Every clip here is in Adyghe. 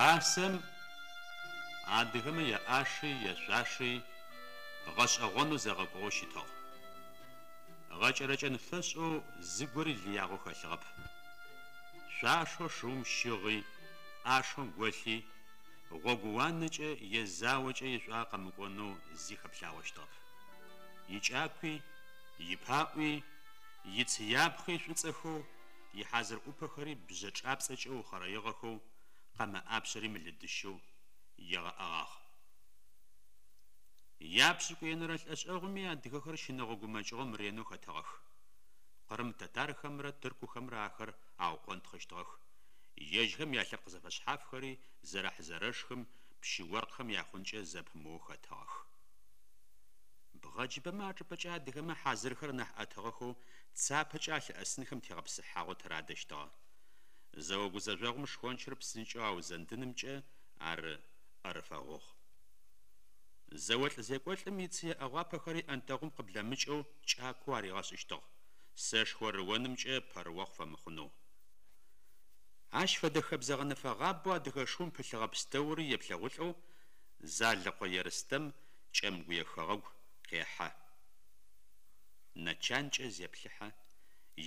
Пасэм адыгэмэ яӏаши яшъуаши гъэшӏэгъонэу зэгъэкӏугъэу щытыгъ. Гъэкӏэрэкӏэн фэшӏэу зыгори лыягъэу хэлъыгъэп. Шъуашэу шыум щыгъи, ӏашэу голъи, гъогууанэкӏэ е заокӏэ ишӏуагъэ къэмыкӏонэу зи хэплъагъощтыгъэп. Икӏакуи, ипаӏуи, ицыяпхъи шӏуцӏэхэу, ихьазыр ӏупэхэри бжъэ чӏапцӏэкӏэ ухъэрэигъэхэу, къэмэ ӏапшъэри мылыдыщэу егъэӏэгъагъ. Япшӏыкӏуенэрэ лӏэшӏэгъуми адыгэхэр щынэгъо гумэкӏыгъом ренэу хэтыгъэх. Къырым татархэмрэ тыркухэмрэ ахэр аукъонтхъыщтыгъэх, ежьхэм ялъэпкъ зэфэшъхьафхэри зэрэхь-зэрэшхым, пщы-оркъхэм яхъункӏэ зэпымыоу хэтыгъэх. Бгъэджыбэмэ ачӏыпӏэкӏэ адыгэмэ хьазырхэр нахь ӏэтыгъэхэу цапэкӏэ алъыӏэсынхэм тегъэпсыхьагъэу тырадэщтыгъэ. Зэо гузэжъогъум шхончыр псынкӏэу аузэндынымкӏэ ар ӏэрыфэгъугъ. Зэолӏ-зекӏолӏым ицые ӏэгъуапэхэри ӏэнтэгъум къыблэмыкӏэу кӏакоу аригъэшӏыщтыгъ, сэшхо рыонымкӏэ пэрыохъу фэмыхъунэу. Ащ фэдэ хэбзэ гъэнэфэгъабэу адыгэ шыум пылъыгъэ пстэури еплъэгъулӏэу Залэкъо Ерстэм Кӏэмгуе хэгъэгу къехьэ. Нэ чанкӏэ зеплъыхьэ,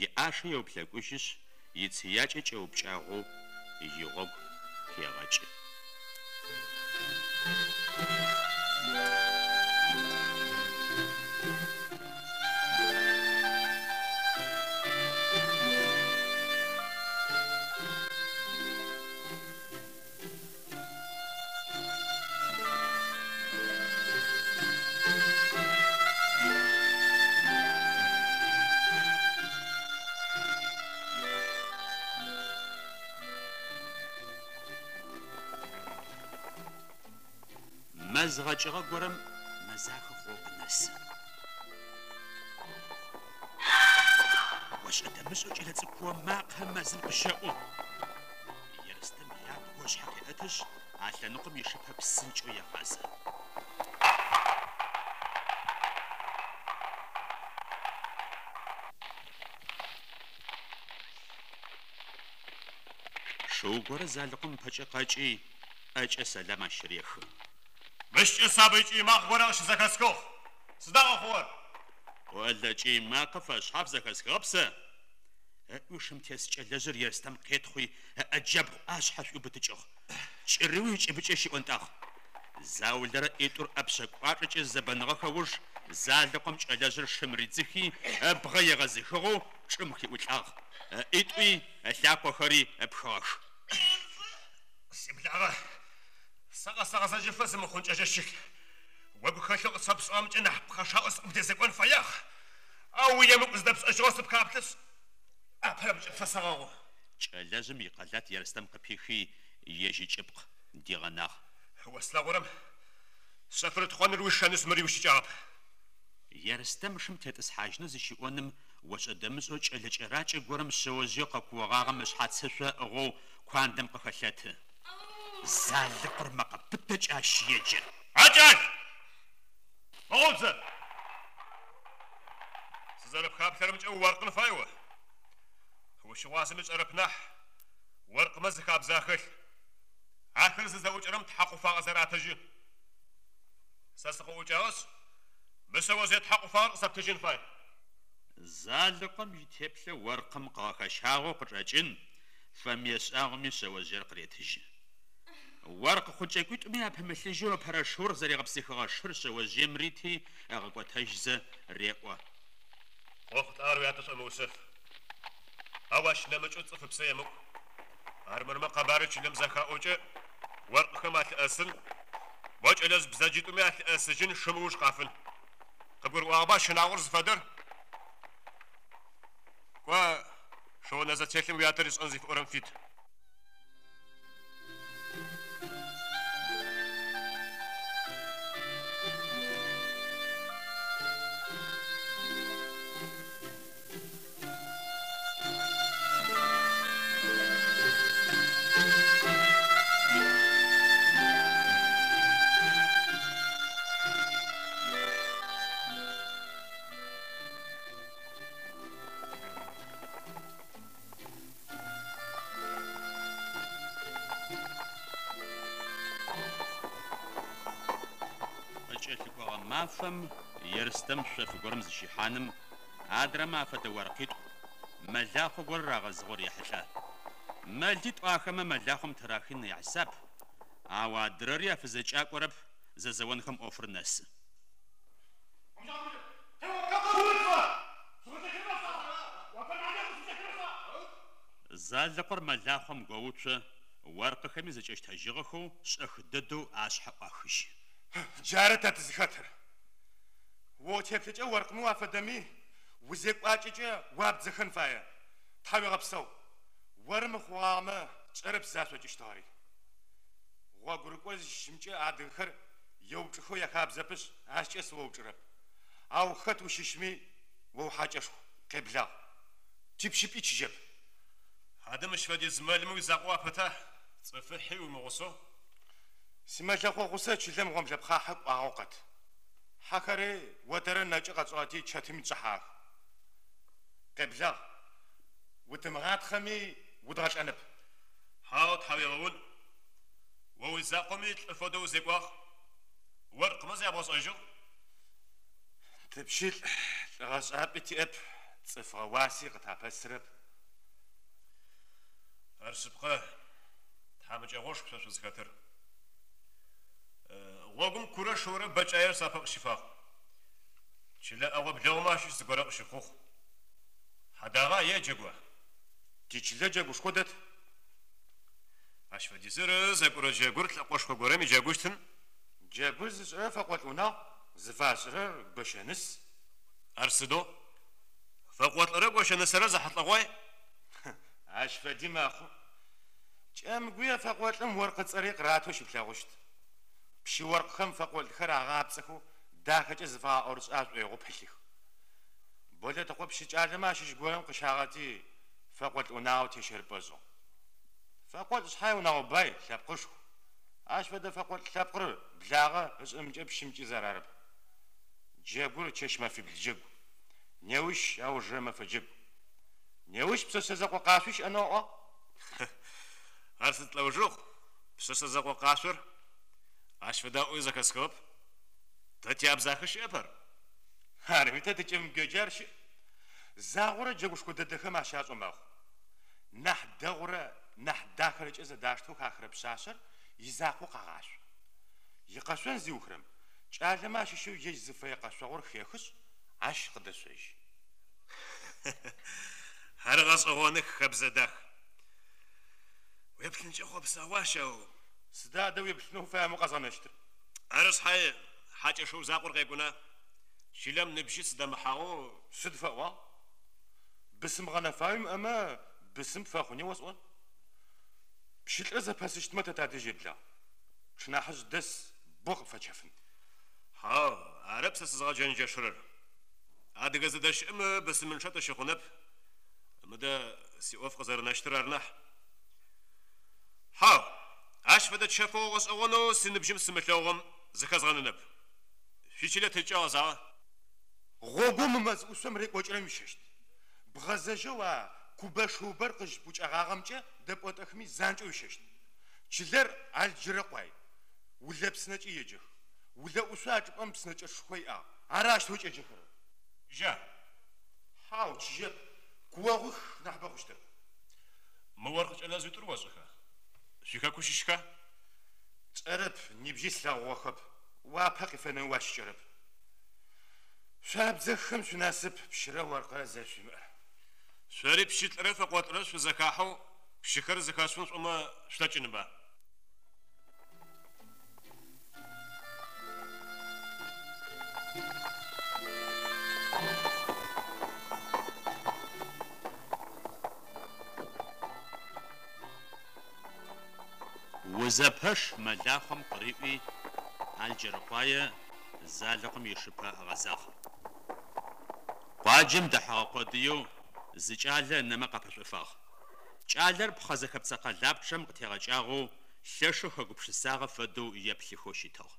иӏашэ еуплъэкӏужьышъ, ицыякӏэ кӏэупкӏагъэу игъогу хегъэкӏы. Мэз гъэкӏыгъэ горэм мэзахэ хъоу къынэсы. Ошӏэ-дэмышӏэу кӏэлэцӏыкӏу куо макъэ мэзым къыщэӏу. Ерстэм ябгэу ышъхьэ къеӏэтышъ, а лъэныкъом ишыпэ псынкӏэу егъазэ. Шыу горэ Залыкъом ыпэкӏэ къэкӏи, ӏэкӏэ сэлам ащ рехы. Мыщкӏэ сабый кӏый макъ горэ къыщызэхэсхыгъ. Сыда къэхъугъэр? Олэ кӏый макъэ фэшъхьаф зэхэсхыгъэп сэ! Ыӏуи шым тес кӏэлэжъыр Ерстэм къетхъуи, ыӏэ джабгъу ӏашъхьэ шӏуиубытыкӏыгъ. Кӏырыуи ыкӏыбыкӏэ щиӏонтӏагъ. Заулэрэ ӏитӏур ӏэпшъэ кӏуачӏэкӏэ зызэбэныгъэхэ уж Залыкъом кӏэлэжъыр шым ридзыхи, ыбгъэ егъэзыхыгъэу чӏым хиӏулӏагъ, ыӏитӏуи ылъакъохэри ыпхыгъэх. Сиблагъэ, сэ къэсэгъэзэжьыфэ зымыхъункӏэжьэ щылъ. О гухэлъэу къысфэпшӏыгъэмкӏэ нахь пхъэшаӏоу сыкъыбдэзекӏон фэягъ, ау уиемыкӏу зыдэпшӏэжьыгъэу сыпхаплъэшъ, апэрэмкӏэ пфэсэгъэгъу. Кӏэлэжъым икъэлат Ерстэм къыпихи, ежь ыкӏыпкъ дигъэнагъ. О слъэгъурэм шъэфрытхъоныр уишэнышъ, мыри уищыкӏагъэп. Ерстэм шым тетӏысхьажьынэу зыщиӏоным, ошӏэ-дэмышӏэу кӏэлэ кӏэракӏэ горэм шъэожъыеу къэкуогъагъэм ышъхьацышъо ыӏыгъэу куандэм къыхэлъэты. Залыкъор мэкъэ пытэкӏэ ащ еджэ. А кӏал! Мыгъоу зэ! Сызэрэпхаплъэрэмкӏэ уоркъын фай о. Ущыгъуазэми сшӏэрэп нахь, оркъмэ зы хабзэ ахэлъ. Ахэр зызэӏукӏэрэм тхьакъуфагъэ зэратыжьы. Сэ сыкъыӏукӏагъэшъ, мы шъэожъые тхьакъуфагъэр къысэптыжьын фай. Залыкъом итеплъэ оркъым къыгъэхэщагъэу къычӏэкӏын, фэмые шӏагъоми шъэожъыер къыретыжьы. Оркъ хъункӏэкӏуитӏуми апымылъыжьэу ыпэрэ шыур зэрегъэпсыхыгъэ шыр шъэожъыем рити, ыгъэкӏотэжьзэ, реӏо. Къохъулӏагъэр уятэ шӏомыушъэф. Ау ащ нэмыкӏэу цӏыф ыпсэ емыӏу. Армырмэ къэбарыр чылэм зэхаӏокӏэ, оркъхэм алъыӏэсын, мо кӏэлэжъ бзэджитӏуми алъыӏэсыжьын, шым ыуж къафын. Къыбгурыӏуагъэба щынагъор зыфэдэр? Кӏо, шыонэзэтелъым уятэ ришӏэн зыфиӏорэм фит. Мафэм Ерстэм шъоф горэм зыщихьаным, адрэмэ афэдэ оркъитӏу, мэлахъо горэ рагъэзыгъэу рехьылӏэ. Мэлитӏу ахэмэ мэлахъом тырахын яхьисап, ау адрэри афызэкӏакӏорэп, зэзэонхэм ӏофыр нэсы. Залэкъор мэлахъом гоуцо, оркъыхэми зэкӏэщтэжьыгъэхэу шӏэх дэдэу ашъхьэ ӏуахыжьы. Джары тэ тызыхэтыр. О уитеплъэкӏэ оркъмэ уафэдэми, уизекӏуакӏэкӏэ уабдзэхэн фае. Тхьауегъэпсэу. Оры мыхъугъагъэмэ, тшӏэрэп сызашӏокӏыщтыгъэри. Гъогурыкӏо зыщыщымкӏэ адыгэхэр еупчӏыхэу яхабзэпышъ, ащкӏэ сыоупчӏырэп. Ау хэт ущыщми, о ухьакӏэшху, къеблагъ. Типщыпӏи чыжьэп. Адэ мыщ фэдиз мэлмэ уизакъоу апэта, цӏыфыхьи уимыгъусэу? Симэлэхъо гъусэ чылэм гъомлэпхъахьэ кӏуагъэу къэт. Хьэхэри отэрыр нэкӏы къэтшӏыгъэти, чэтым итшӏыхьагъэх. Къеблагъ. Утымыгъатхъэми, удгъэлӏэнэп. Хьау, тхьауегъэун. О уизакъоми лӏы фэдэу узекӏуагъ. Оркъмэ зябгъэшӏэжьыгъ. Тыпщылӏ, лӏыгъэшӏапӏи тиӏэп, цӏыфыгъэ уаси къытапэсырэп. Ар шъыпкъэ, тхьамыкӏэгъошху шъо шъузхэтыр. Гъогум курэ шыурэ бэкӏаер сапэ къыщифагъ. Чылэ ӏэгъо-блэгъумэ ащыщ зыгорэ къыщыхъугъ. Хьадагъа е джэгуа? Тичылэ джэгушхо дэт. Ащ фэдизыр зэкӏурэ джэгур лӏэкъошхо горэм иджэгущтын. Джэгур зышӏырэр фэкъолӏ унагъу, зыфашӏырэр гощэныс. Ар сыдэу? Фэкъолӏырэ гощэнысэрэ зэхьылӏэгъуай? Ащ фэди мэхъу. Кӏэмгуе фэкъолӏым оркъыцӏэри къыратэу щыплъэгъущт. Пщы-оркъхэм фэкъолӏхэр агъапцӏэхэу дахэкӏэ зыфагъэӏорышӏэ ашӏоигъоу пылъых. Болэтыкъо пщыкӏалэмэ ащыщ горэм къыщагъэти, фэкъолӏ унагъо тещэрыпӏэ ышӏыгъ. Фэкъолӏ шъхьай унэгъо бай, лъэпкъышху. Ащ фэдэ фэкъолӏ лъэпкъыр благъэ ышӏынымкӏэ пщымкӏи зэрарэп. Джэгур чэщ-мэфибл джэгу. Неущ аужырэ мэфэ джэгу. Неущ пшъэшъэ зэкъо къашъуи щыӏэнэу аӏуагъ. Ар сыд лӏэужыгъу, пшъэшъэ зэкъо къашъор? Ащ фэдэ аӏоуи зэхэсхыгъэп. Тэ тиабзахэ щыӏэп ар. Арми тэ тикӏэмгуекӏэ ар щыӏ. Загъорэ джэгушхо дэдэхэм ащашӏэу мэхъу. Нахь дэгъурэ нахь дахэрэкӏэ зэдаштэу хахырэ пшъашъэр изакъоу къагъашъо. Икъэшъон зиухырэм, кӏалэмэ ащыщэу ежь зыфэе къэшъогъур хехышъ, ащ къыдэшъожьы. Ар гъэшӏэгъоных, хэбзэ дах. Уеплъынкӏэ хъопсэгъуащ, ау. Сыда адэ уеплъынэу уфаемэ укъэзгъэнэщтыр? Ары шъхьае, хьакӏэ шыу закъор къекӏуна? Чылэм ныбжьи сыдэмыхьагъэу. Сыд фэӏуагъ? Бысым гъэнэфагъэ уимыӏэмэ, бысым пфэхъуни осӏон. Пщылӏыр зэпэсыщтмэ тэ тадэжь еблагъ. Пшынахьыжъ дэс, бо къыпфэчэфын. Хьау, арэп сэ сызгъэджэнджэшырэр. Адыгэ зэдэщыӏэм бысымынчъэ тыщыхъунэп. Мыдэ сиӏоф къызэрэнэщтыр ары нахь. Хьау, ащ фэдэ чэфыгъо гъэшӏэгъонэу синыбжьым сымылъэгъугъэм зыхэзгъэнынэп. Шъуичылэ тыдкӏэ гъэзагъа? Гъогоу мы мэз ӏушъом рекӏокӏырэм уищэщт. Бгъэзэжьэу а кубэ шыубэр къызщыпӏукӏэгъагъэмкӏэ дэпӏотӏэхми занкӏэу уищэщт. Чылэр Алджырэкъуай, Улэ псынэкӏи еджэх. Улэ ӏушъо а чӏыпӏэм псынэкӏэчъышхо иӏагъ. Ары аущтэу кӏеджэхэрэр. Чыжьа? Хьау, чыжьэп. Куогъуих нахьыбэ хъущтэп. Мы оркъ кӏэлэжъитӏур ошӏэха? Шъуихэку щыщха? Тшӏэрэп, нибжьи слъэгъугъэхэп. Уапэ къифэнэуи уащыкӏэрэп. Шъо абдзэххэм шъуинасып пщырэ оркърэ зэрэшъуимыӏэр. Шъори пщылӏрэ фэкъолӏрэ шъузэхахьэу пщыхэр зэхэшъуфын шъуӏомэ шъулъэкӏынба? Узэпэш мэлахъом къыриӏуи, Алджэрыкъуае Залэкъом ишыпэ ыгъэзагъ. Къуаджэм дэхьэгъэ къодыеу зы кӏалэ ынэмэ къапэшӏофагъ. Кӏалэр пхъэ зэхэпцэ къэлапчъэм къытегъэкӏагъэу лъэшэу хэгупшысагъэ фэдэу еплъыхэу щытыгъ.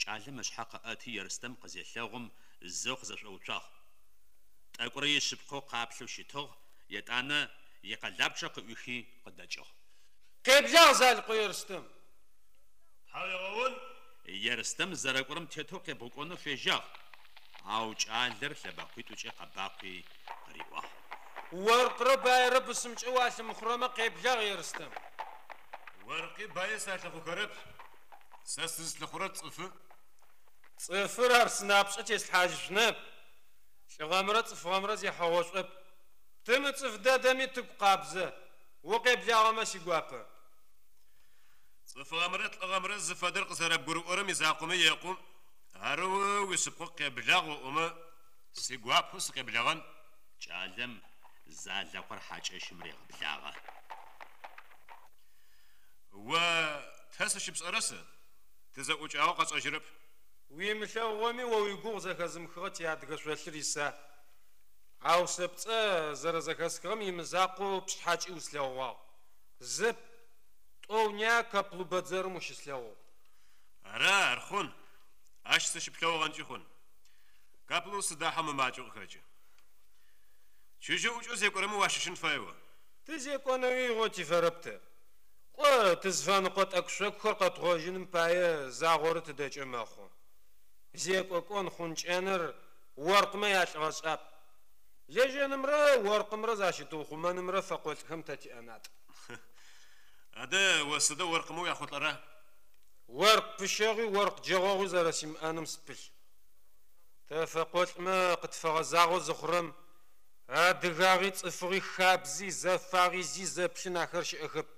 Кӏалэм ышъхьэ къыӏэти Ерстэм къызелъэгъум зэу къызэшӏоуцуагъ. Тӏэкӏурэ ишъыпкъэу къаплъэу щытыгъ, етӏанэ икъэлапчъэ къыӏуихи къыдэкӏыгъ. Къеблагъ, Залыкъо Ерстэм! Тхьауегъэун! Ерстэм зэрэкӏорэм тетэу къебгъукӏонэу фежьагъ, ау кӏалэр лъэбэкъуитӏукӏэ къэбакъуи, къыриӏуагъ. Оркърэ баерэ бысымкӏэ уалъымыхъурэмэ, къеблагъ, Ерстэм. Оркъи баий салъыхъухэрэп, сэ сызлъыхъурэр цӏыфы. Цӏыфыр ар сынапшӏэ теслъхьажьышъунэп, лӏыгъэмрэ цӏыфыгъэмрэ зехьэгъошӏоп. Тымыцӏыф дэдэми тыгу къабзэ, укъеблагъэмэ сигуапэ. Цӏыфыгъэмрэ лӏыгъэмрэ зыфэдэр къызэрэбгурыӏорэм изакъомэ екъу, арэу уишъыпкъэу къеблагъ оӏомэ, сигуапэу сыкъеблэгъэн. Кӏалэм Залэкъор хьакӏэщым регъэблагъэ. О тэ сыщыпшӏэрэ сэ? Тызэӏукӏагъэу къэсшӏэжьырэп. Уимылъэгъугъэми о уигугъу зэхэзымыхыгъэ тиадыгэ шъолъыр иса? Ау сэ пцӏэ зэрэзэхэсхыгъэм имызакъоу пшъхьэкӏи услъэгъугъагъ. Зэп, тӏоу-ня Каплу бэдзэрым ущыслъэгъугъ. Ара, ар хъун. Ащ сыщыплъэгъугъэнкӏи хъун. Каплу сыдахьэу мымакӏэу къыхэкӏы. Чыжьэу ӏукӏэу зекӏорэмэ уащыщын фае о. Тызекӏонэуи игъо тифэрэп тэ. Кӏо, тызфэныкъо тӏэкӏу-шъокӏухэр къэтгъожьыным пае загъорэ тыдэкӏэ мэхъу. Зекӏо кӏон хъункӏэныр оркъмэ ялӏыгъэшӏапӏ. Лэжьэнымрэ оркъымрэ защытыухъумэнымрэ фэкъолӏхэм тэ тиӏэнатӏ. Адэ, о сыдэу оркъымэ уяхъулӏэра? Оркъ пыщэгъуи оркъ джэгъогъуи зэрэсимыӏэным сыпылъ. Тэ фэкъолӏмэ къытфэгъэзагъэу зыхъурэм, адыгагъи, цӏыфыгъи, хабзи, зэфагъи зи зэплъын ахэр щыӏэхэп,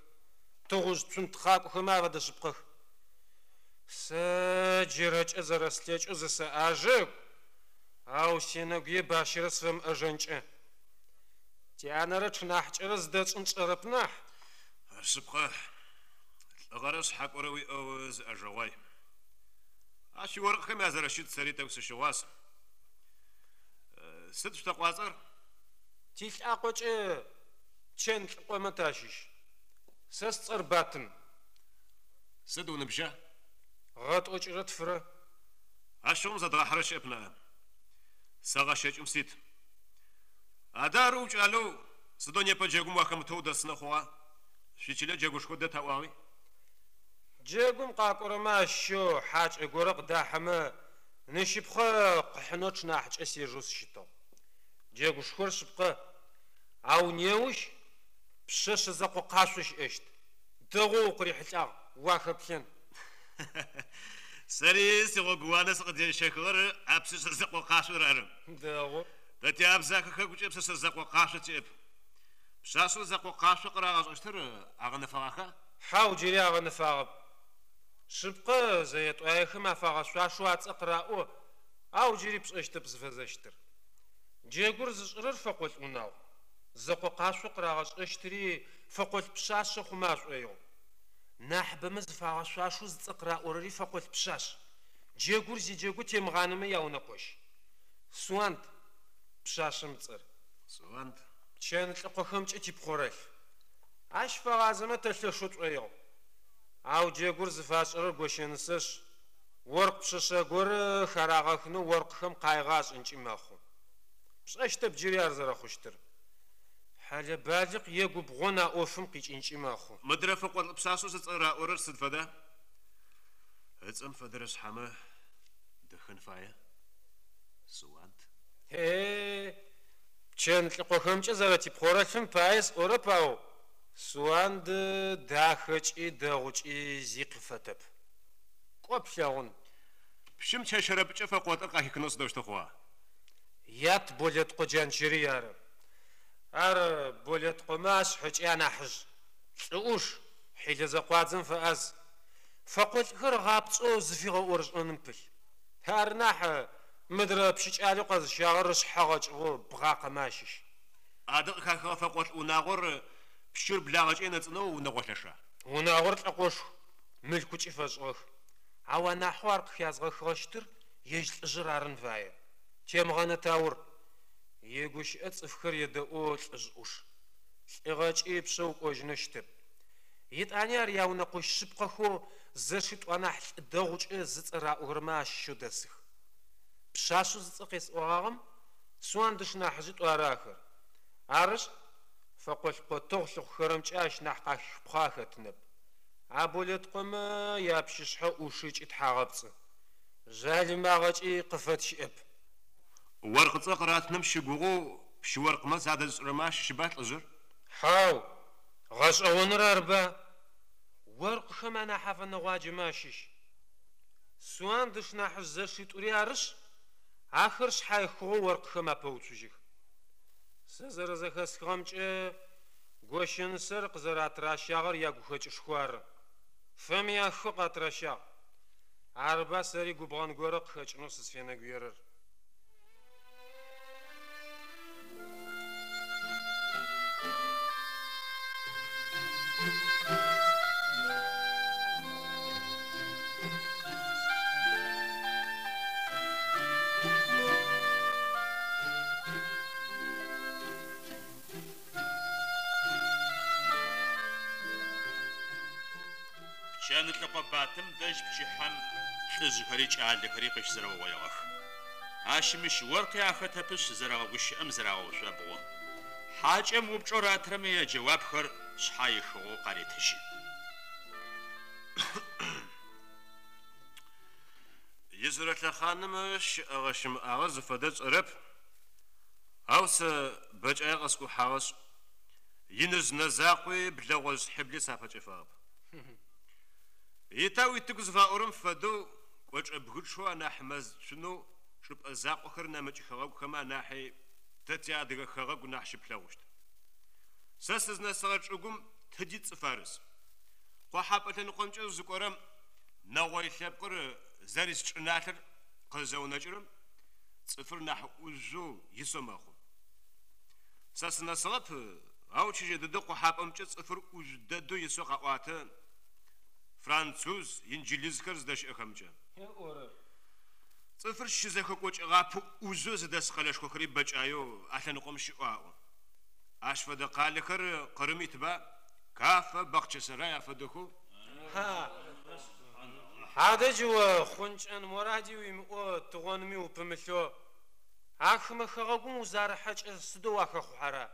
тыгъужъ цунтхъакӏохэмэ афэдэ шъыпкъэх. Сэ джырэкӏэ зэрэслъэкӏэу зысэӏажэ, ау сенэгуе бащэрэ сфэмыӏэжэнкӏэ. Тянэрэ тшынахьыкӏэрэ зыдэтшӏын тшӏэрэп нахь. Ар шъыпкъэ, лӏыгъэрэ шъхьакӏорэ уиӏэу зыӏэжэгъуай. А шъуиоркъхэм язэрэщыт сэри тӏэкӏу сыщыгъуаз. Сыд шъулъэкъуацӏэр? Тилӏакъокӏэ Пчэнлӏыкъомэ тащыщ. Сэ сцӏэр Батым. Сыд уныбжьа? Гъэ тӏокӏырэ тфырэ. Ащыгъум зэдгъахьырэ щыӏэп ныӏа. Сэ гъэ щэкӏым сит. Адэ ары укӏалэу сыдэу непэ джэгум уахэмытэу удэсынэу хъугъа? Шъуичылэ джэгушхо дэт аӏуагъи. Джэгум къакӏорэмэ ащыщэу хьакӏэ горэ къыдахьэмэ, ныщыпхъэ къыхьынэу тшынахьыкӏэ сежэу сыщытыгъ. Джэгушхор шъыпкъэ, ау неущ пшъэшъэ зэкъо къашъо щыӏэщт. Дэгъоу укъырихьылӏагъ, уахэплъэн. Сэри сигъогууанэ сыкъызезыщэхыгъэр а пшъэшъэ зэкъо къашъор ары. Дэгъу. Тэ тиабзахэ хэгукӏэ пшъэшъэ зэкъо къашъо тиӏэп. Пшъашъэу зэкъо къашъо къырагъэшӏэщтыр агъэнэфэгъаха? Хьау, джыри агъэнэфагъэп. Шъыпкъэ, зэе-тӏуаехэм афагъэшъуашэу ацӏэ къыраӏо, ау джыри пшӏэщтэп зыфэзэщтыр. Джэгур зышӏырэр фэкъолӏ унагъу. Зэкъо къашъо къырагъэшӏэщтыри фэкъолӏ пшъашъэ хъумэ ашӏоигъу. Нахьыбэмэ зыфагъэшъуашэу зыцӏэ къыраӏорэри фэкъолӏ пшъашъ. Джэгур зиджэгу Темгъанэмэ яунэкъощ. Суанд, пшъашъэм ыцӏэр. Суанд. Пчэнлӏыкъохэмкӏэ типхъорэлъф. Ащ фэгъазэмэ тэ лъэшэу тшӏоигъу. Ау джэгур зыфашӏырэр гощэнысэшъ, оркъ пшъэшъэ горэ харагъэхынэу оркъхэм къайгъэ ашӏынкӏи мэхъу. Пшӏэщтэп джыри ар зэрэхъущтыр. Хьэлэ-балыкъ е губгъон а ӏофым къикӏынкӏи мэхъу. Мыдрэ фэкъолӏ пшъашъэу зыцӏэ раӏорэр сыд фэда? Ыцӏэм фэдэрэ шъхьэмэ дэхэн фае. Суанд. Е-е, Пчэнлӏыкъохэмкӏэ зэрэтипхъорэлъфым пае сӏорэп, ау Суанд дахэкӏи дэгъукӏи зи къыфэтэп. Кӏо плъэгъун. Пщым чэщэрэпкӏэ фэкъолӏыр къахихынэу сыдэущтэу хъугъа? Ят Болэткъо Джанчэрый ары. Ар Болэткъомэ ашъхьэкӏи анахьыжъ. Лӏы ӏуш, хьилэ зэкъуадзэм фэӏаз. Фэкъолӏхэр ыгъапцӏэу зыфигъэӏорышӏэным пылъ. Ары нахь Мыдрэ пщыкӏалэу къэзыщагъэр ышъхьэ гъэкӏыгъэу бгъакъэмэ ащыщ. Адэ къыхахыгъэ фэкъолӏ унагъор пщыр благъэкӏэ енэцӏынэу унэгъо лъэша? Унагъор лӏэкъошху, мылъкукӏи фэшӏыгъэх. Ау анахьэу ар къыхязгъэхыгъэщтыр ежь лӏыжъыр арын фае. Темгъэнэ Таур. Игущыӏэ цӏыфхэр едэӏоу лӏыжъ ӏуш. Лӏыгъэкӏи ыпшъэ укӏожьынэу щытэп. Етӏани ар яунэкъощ шъыпкъэхэу зэшитӏу анахь лӏы дэгъукӏэ зыцӏэ раӏохэрэмэ ащыщэу дэсых. Пшъашъэу зыцӏэ къесӏогъагъэм Суанд ышнахьыжъитӏу ары ахэр. Арышъ, фэкъолӏ къотэгъу лъыхъухэрэмкӏэ ащ нахь къахихыпхъэ ахэтынэп. А Болэткъомэ япщышъхьэ ӏушы ыкӏи тхьагъэпцӏы. Жъалымагъэкӏи къыфэт щыӏэп. Оркъыцӏэ къыратыным щыгугъэу пщы-оркъмэ задэзышӏырэмэ ащыщба лӏыжъыр? Хьау, гъэшӏэгъоныр арба, оркъыхэм анахь афэнэгъуаджэмэ ащыщ. Суанд ышнахьыжъ зэшитӏури арышъ, ахэр шъхьаихыгъэу оркъыхэм апэуцужьых. Сэ зэрэзэхэсхыгъэмкӏэ, гощэнысэр къызэратыращагъэр ягухэкӏышху ары. Фэмыяххэу къатыращагъ. Арыба сэри губгъэн горэ къыхэкӏынэу сызфенэгуерэр. Пчэнылӏыкъо Батым дэжь пчыхьэм лӏыжъхэри кӏалэхэри къыщызэрэугъоигъэх. Ащымыщ оркъи ахэтэпышъ зэрэгъэгущыӏэм зырагъэушъобгъу. Хьакӏэм упчӏэу ратырэмэ яджэуапхэр шъхьаихыгъэу къаретыжьы. Ижъырэ лъэхъаным щыӏэгъэ-щымыӏагъэр зыфэдэр сшӏэрэп, ау сэ бэкӏае къэскӏухьагъэшъ, иныжъ нэ закъуи блэгъожъ хьибли сапэкӏэфагъэп. Ита уитыгу зыфаӏорэм фэдэу кӏочӏэ бгычъэу анахь мэз цунэу чӏыпӏэ закъохэр нэмыкӏ хэгъэгухэмэ анахьи тэ тиадыгэ хэгъэгу нахь щыплъэгъущт. Сэ сызнэсыгъэ чӏыгум тыди цӏыф арыс. Къохьапӏэ лъэныкъомкӏэ узыкӏорэм нэгъой лъэпкъыр зэрыс чӏыналъэр къызэунэкӏырэм цӏыфыр нахь ӏужъоу исэу мэхъу. Сэ сынэсыгъэп, ау чыжьэ дэдэу къохьапӏэмкӏэ цӏыфыр ӏужъу дэдэу исэу къаӏуатэ француз, инджылызхэр зыдэщыӏэхэмкӏэ. Цӏыфыр щызэхэкӏокӏэгъапэу ӏужъоу зыдэс къэлэшхохэри бэкӏаеу а лъэныкъом щыӏэу аӏо. Ащ фэдэ къалэхэр Къырым итба, Кафэ, Бахъчэсэрай афэдэхэу? Адэ джы о хъункӏэн моради уимыӏэу, тыгъонми упымылъэу, а хымэ хэгъэгум узарыхьэкӏэ сыдэу уахэхъухьэра?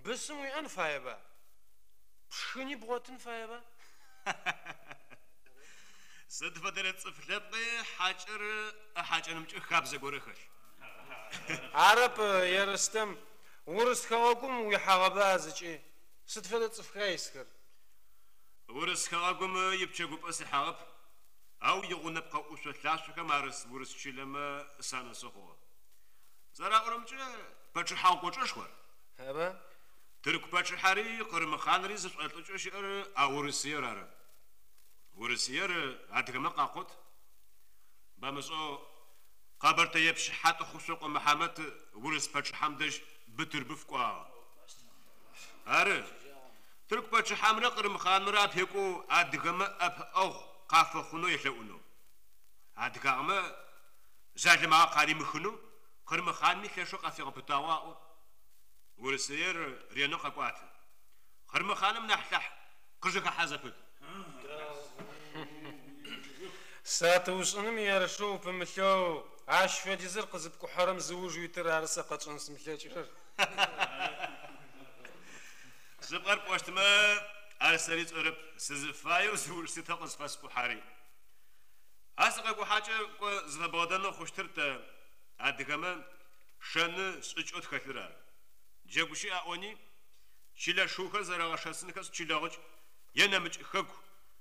Бысым уиӏэн фаеба? Пшхыни бгъотын фаеба? Сыд фэдэрэ цӏыф лъэпкъи хьакӏэр ыхьакӏэнымкӏэ хабзэ горэ хэлъ. Арэп, Ерстэм, урыс хэгъэгум уихьагъэба зыкӏи? Сыд фэдэ цӏыфха исхэр? Урыс хэгъэгум ипчэгупӏэ сихьагъэп, ау игъунэпкъэ ӏушъо-лъашъохэм арыс урыс чылэмэ санэсы хъугъэ. Зэраӏорэмкӏэ, пачъыхьагъу кӏочӏэшхор. Аба? Тырку пачъыхьэри Къырым хъанри зышӏолӏыкӏэу щыӏэр а Урысыер ары. Урысыер адыгэмэ къакъот. Бэмышӏэу къэбэртэепщ Хьатӏыхъушъокъо Мыхьамэт урыс пачъыхьэм дэжь Бытырбыф кӏуагъэ. Ары, тырку пачъыхьэмрэ Къырым хъанымрэ апекӏоу адыгэмэ ӏэпыӏэгъу къафэхъунэу елъэӏунэу. Адыгагъэмэ жъалымагъэ къаримыхынэу Къырым хъанми лъэшэу къафигъэпытагъэу аӏо. Урысыер ренэу къэкӏуатэ. Къырым хъаным нахь лъахь къыжэхэхьэ зэпыт. Сатыушӏыным ерышэу упымылъэу ащ фэдизыр къызыпкӏухьэрэм зыуж уитыр ары сэ къэсшӏэн сымылъэкӏырэр. Шъыпкъэр пӏощтмэ, ар сэри сшӏэрэп, сызыфаеу зыуж ситэу къызфэскӏухьэри. А сыкъэкӏухьакӏэ кӏо зыфэбгъэдэнэу хъущтыр тэ, адыгэмэ, шэны шӏыкӏэу тхэлъыр ары. Джэгу щыӏ аӏони, чылэ шыухэр зэрэгъэшэсынхэшъ чылэгъыкӏ е нэмыкӏ хэку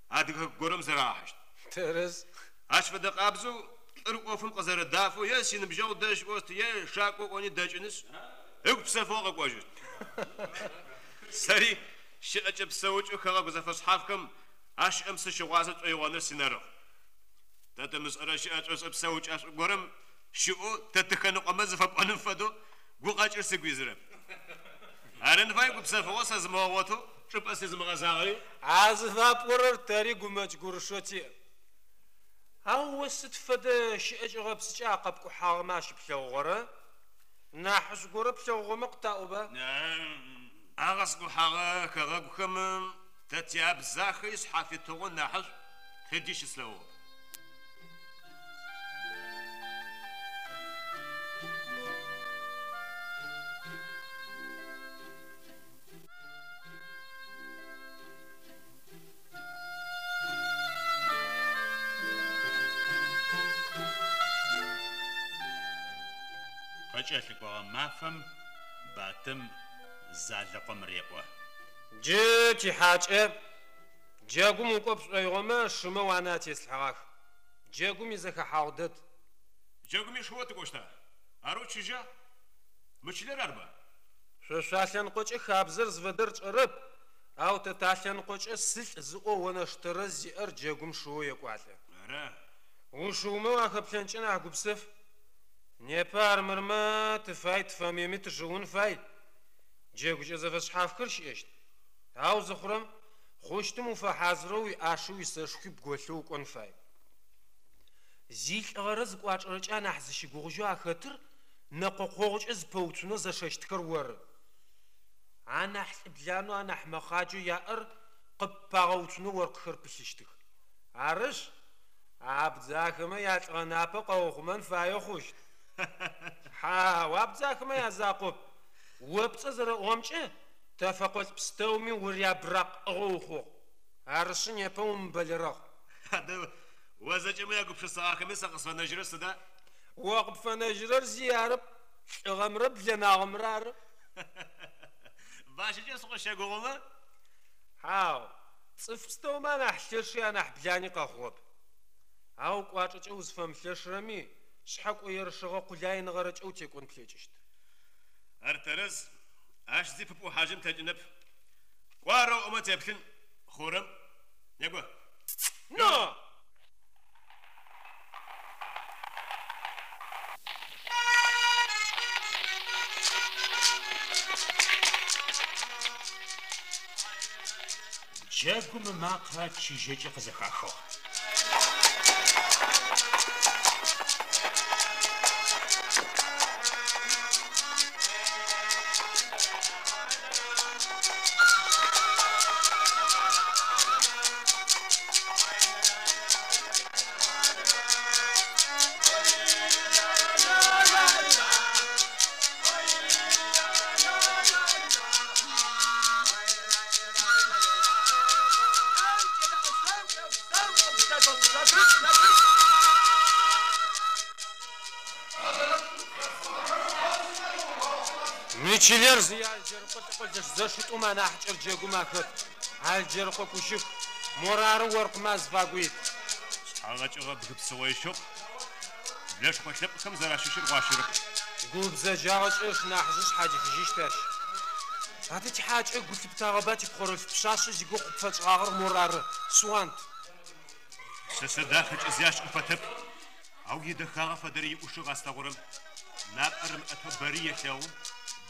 адыгэ хэку горэм зэрагъэхьыщт. Тэрэз. Ащ фэдэ къабзэу лӏыр ӏофым къызэрэдафэу е синыбджэгъу дэжь кӏощт, е шакӏо кӏони дэкӏынышъ, ыгу псэфыгъэу къэкӏожьыщт. Сэри щыӏэкӏэ-псэукӏэу хэгъэгу зэфэшъхьафхэм ащыӏэм сыщыгъуазэ шӏоигъоныр синэрыгъ. Тэ тымышӏэрэ щыӏэкӏэшӏэ-псэукӏэшӏу горэм щыӏэу тэ тыхэныкъомэ зыфэпӏоным фэдэу гукъэкӏыр сыгу изырэп. Арын фае гупсэфыгъо сэзымыгъэгъотэу чӏыпӏэ сизымыгъэзагъэри. А зыфапӏорэр тэри гумэкӏ-гурышэу тиӏ. Ау о сыд фэдэ щыӏэкӏэ-гъэпсыкӏа а къэпкӏухьагъэмэ ащыплъэгъугъэрэ? Нахьышӏу горэ плъэгъугъэмэ къытаӏоба? А къэскӏухьагъэ хэгъэгухэм тэ тиабзахэ ишъхьафитыгъо нахьышӏу тыди щыслъэгъугъэп. Къыкӏэлъыкӏогъэ мафэм Батым Залэкъом реӏо. Джы, тихьакӏэ, джэгум укӏо пшӏоигъомэ, шымэ уанэ атеслъхьэгъах. Джэгум изэхэхьагъу дэд. Джэгуми шыоу тыкӏощта? Арэу чыжьа? Мы чылэр арба? Шъо шъуалъэныкъокӏэ хабзэр зыфэдэр тшӏэрэп, ау тэ талъэныкъокӏэ сылӏ зыӏоу онэш тэрэз зиӏэр джэгум шыоу екӏуалӏэ. Ара? Ушыумэ уахэплъэнкӏэ нахь гупсэф. Непэ армырмэ, тыфай-тыфэмыеми тышыун фай. Джэгукӏэ зэфэшъхьафхэр щыӏэщт. Ау зыхъурэм, хъущтым уфэхьазырэу уиӏаши уисэшхуи бголъэу укӏон фай. Зилӏыгъэрэ зыкӏуачӏэрэкӏэ анахь зыщыгугъыжьэу ахэтыр нэкъокъогъукӏэ зыпэуцунэу зэшэщтхэр оры. Анахь лӏыбланэу, анахь мэхъаджэу яӏэр къыппагъэуцунэу оркъыхэр пылъыщтых. Арышъ, абдзахэмэ ялӏыгъэ напэ къэухъумэн фаеу хъущт. Хьау, абдзахэмэ язакъоп. О пцӏэ зэрэӏугъэмкӏэ, тэ фэкъолӏ пстэуми урябыракъ ӏыгъэу ухъугъ. Арышъы, непэ умыбэлэрэгъ. Адэ, о зэкӏэмэ уягупшысагъэхэми сэ къысфэнэжьырэр сыда? О къыпфэнэжьырэр зи арэп, лӏыгъэмрэ блэнагъэмрэ ары. Бащэкӏэ сыкъыщэгугъымэ? Хьау, цӏыф пстэумэ анахь лъэши анахь блани къэхъугъэп. Ау кӏуачӏэкӏэ узфэмылъэшырэми, шъхьэкӏо ерышыгъэ къулайныгъэрэкӏэ утекӏон плъэкӏыщт. Ар тэрэз, ащ зи пыпӏухьажьын плъэкӏынэп. Кӏо арэу оӏомэ теплъын, хъурэм. Некӏо. Но! Джэгум ымакъэ чыжьэкӏэ къызэхахыгъ. Мы чылэр зые Алджэрыкъо лӏэкъолъэш зэшитӏум анахьыкӏэр джэгум ахэт. Алджэрыкъо Кущыку, морары оркъмэ азыфагу ит. Шъхьэ гъэкӏыгъэ бгы псыгъо ищыгъ, Блэшхъо лъэпкъхэм зэращыщыр гъуащэрэп. Гу бзэджагъэкӏэ ышнахьыжъы шъхьадихыжьыщт ащ. Адэ тихьакӏэ гу лъыптагъэба типхъорэлъф пшъашъэ зигугъу къыпфэтшӏыгъагъэр морары, Суанд. Пшъэшъэ дахэкӏэ зи ащ ӏуфэтэп, ау идэхагъэ фэдэри иӏушыгъ а слъэгъурэм. Напӏэр ымыӏэтэу бэри елъэгъу,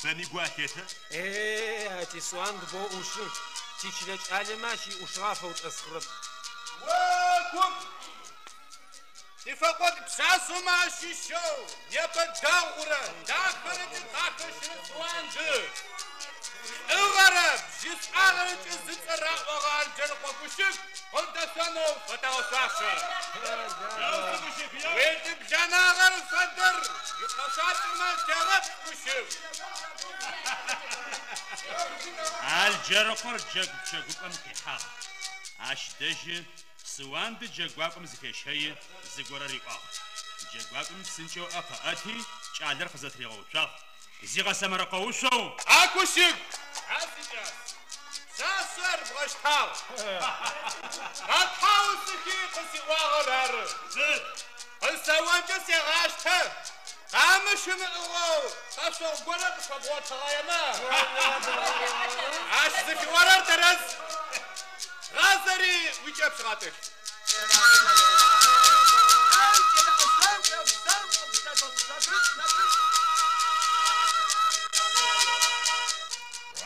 бэми гу алъетэ. Е-е, а ти Суанд боу ӏушы, тичылэ кӏалэмэ ащ иӏушыгъэ афэутӏэсхъырэп. О куп! Тифэкъолӏ пшъашъэмэ ащыщэу непэ дэгъурэ дахэрэкӏэ къахэщырэ Суанды, лӏыгъэрэ бжьышӏуагъэрэкӏэ зыцӏэ раӏогъэ Алджэрыкъо Кущыку къыдэшъонэу фэтэгъэшъуашэ. Уилӏыблэнагъэр фэдэр икъэшъуакӏэмэ тегъэплъ, Кущыку. Алджэрыкъор джэгу пчэгупӏэм къихьагъ. Ащ дэжьы Суанды джэгуакӏом зыфещэи, зыгорэ риӏуагъ. Джэгуакӏоми псынкӏэу ыӏэ къыӏэти, кӏалэр къызэтыригъэуцуагъ, зигъэсэмэркъэушъоу. А Кущыку! А сикӏас! Пшъашъэр бгъэщтагъ! Къэтхьаусыхи къысиӏуагъэр ары. Къысэонкӏэ сегъащтэ! Къамыщ ымыӏыгъэу къэшъогъу горэ къыфэбгъотыгъэемэ, ащ зыфиӏорэр тэрэз! Гъазэри уикӏэпщ гъэтӏылъ.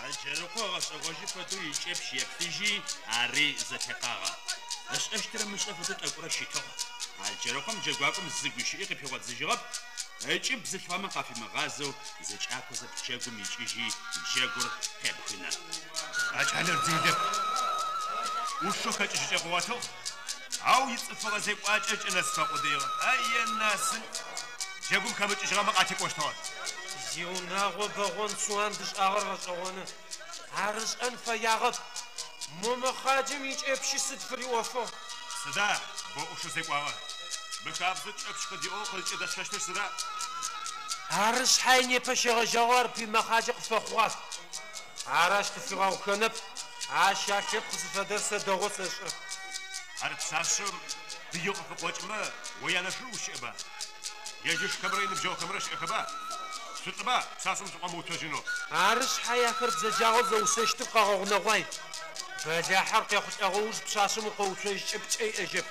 Алджэрыкъо ыгъэшӏэгъожьы фэдэу икӏэпщ еплъыжьи, ари зэтекъагъэ. Ышӏэщтыр ымышӏэ фэдэу тӏэкӏурэ щытыгъ. Алджэрыкъом джэгуакӏом зы гущыӏи къыпигъодзыжьыгъэп, ыкӏыб бзылъфыгъэмэ къафимыгъазэу зэкӏакозэ пчэгум икӏыжьи джэгур къебгынэ. А кӏалэр делэп, ӏушэу хэкӏыжьыкӏэ къыгъотыгъ, ау ицӏыфыгъэ зекӏуакӏэ кӏэ нэс фэкъудыигъэп. А-енасын, джэгум хэмыкӏыжьыгъэмэ къатекӏощтыгъэ. Зиунагъо бэгъон Суанд ышӏагъэр гъэшӏэгъоны. Ар ышӏэн фэягъэп. Мо мэхъаджэм икӏэпщи сыд фыриӏофыгъ? Сыда, бо ӏушэу зекӏуагъэ? Мыхабзэу кӏэпщ къыдиӏоу къызкӏыдэсшъощтыр сыда? Ары шъхьай непэ щегъэжьагъэу ар пый мэхъаджэ къыфэхъугъах. Ар ащ къыфигъэгъухэнэп, ащ а лъэпкъ зыфэдэр сэ дэгъоу сэшӏэ. Ар пшъашъэм пыеу къыфыкъокӏымэ, о янэшыр ущыӏэба? Ежь ышхэмрэ иныбджэгъухэмрэ щыӏэхэба? Шъулӏыба пшъашъэм шъукъомыуцожьынэу? Ары шъхьай ахэр бзэджагъэу зэусэщтыр къэгъэгъунэгъуай. Бэлахьэр къехъулӏэгъэ уж пшъашъэм укъоуцожькӏэ пкӏэ иӏэжьэп.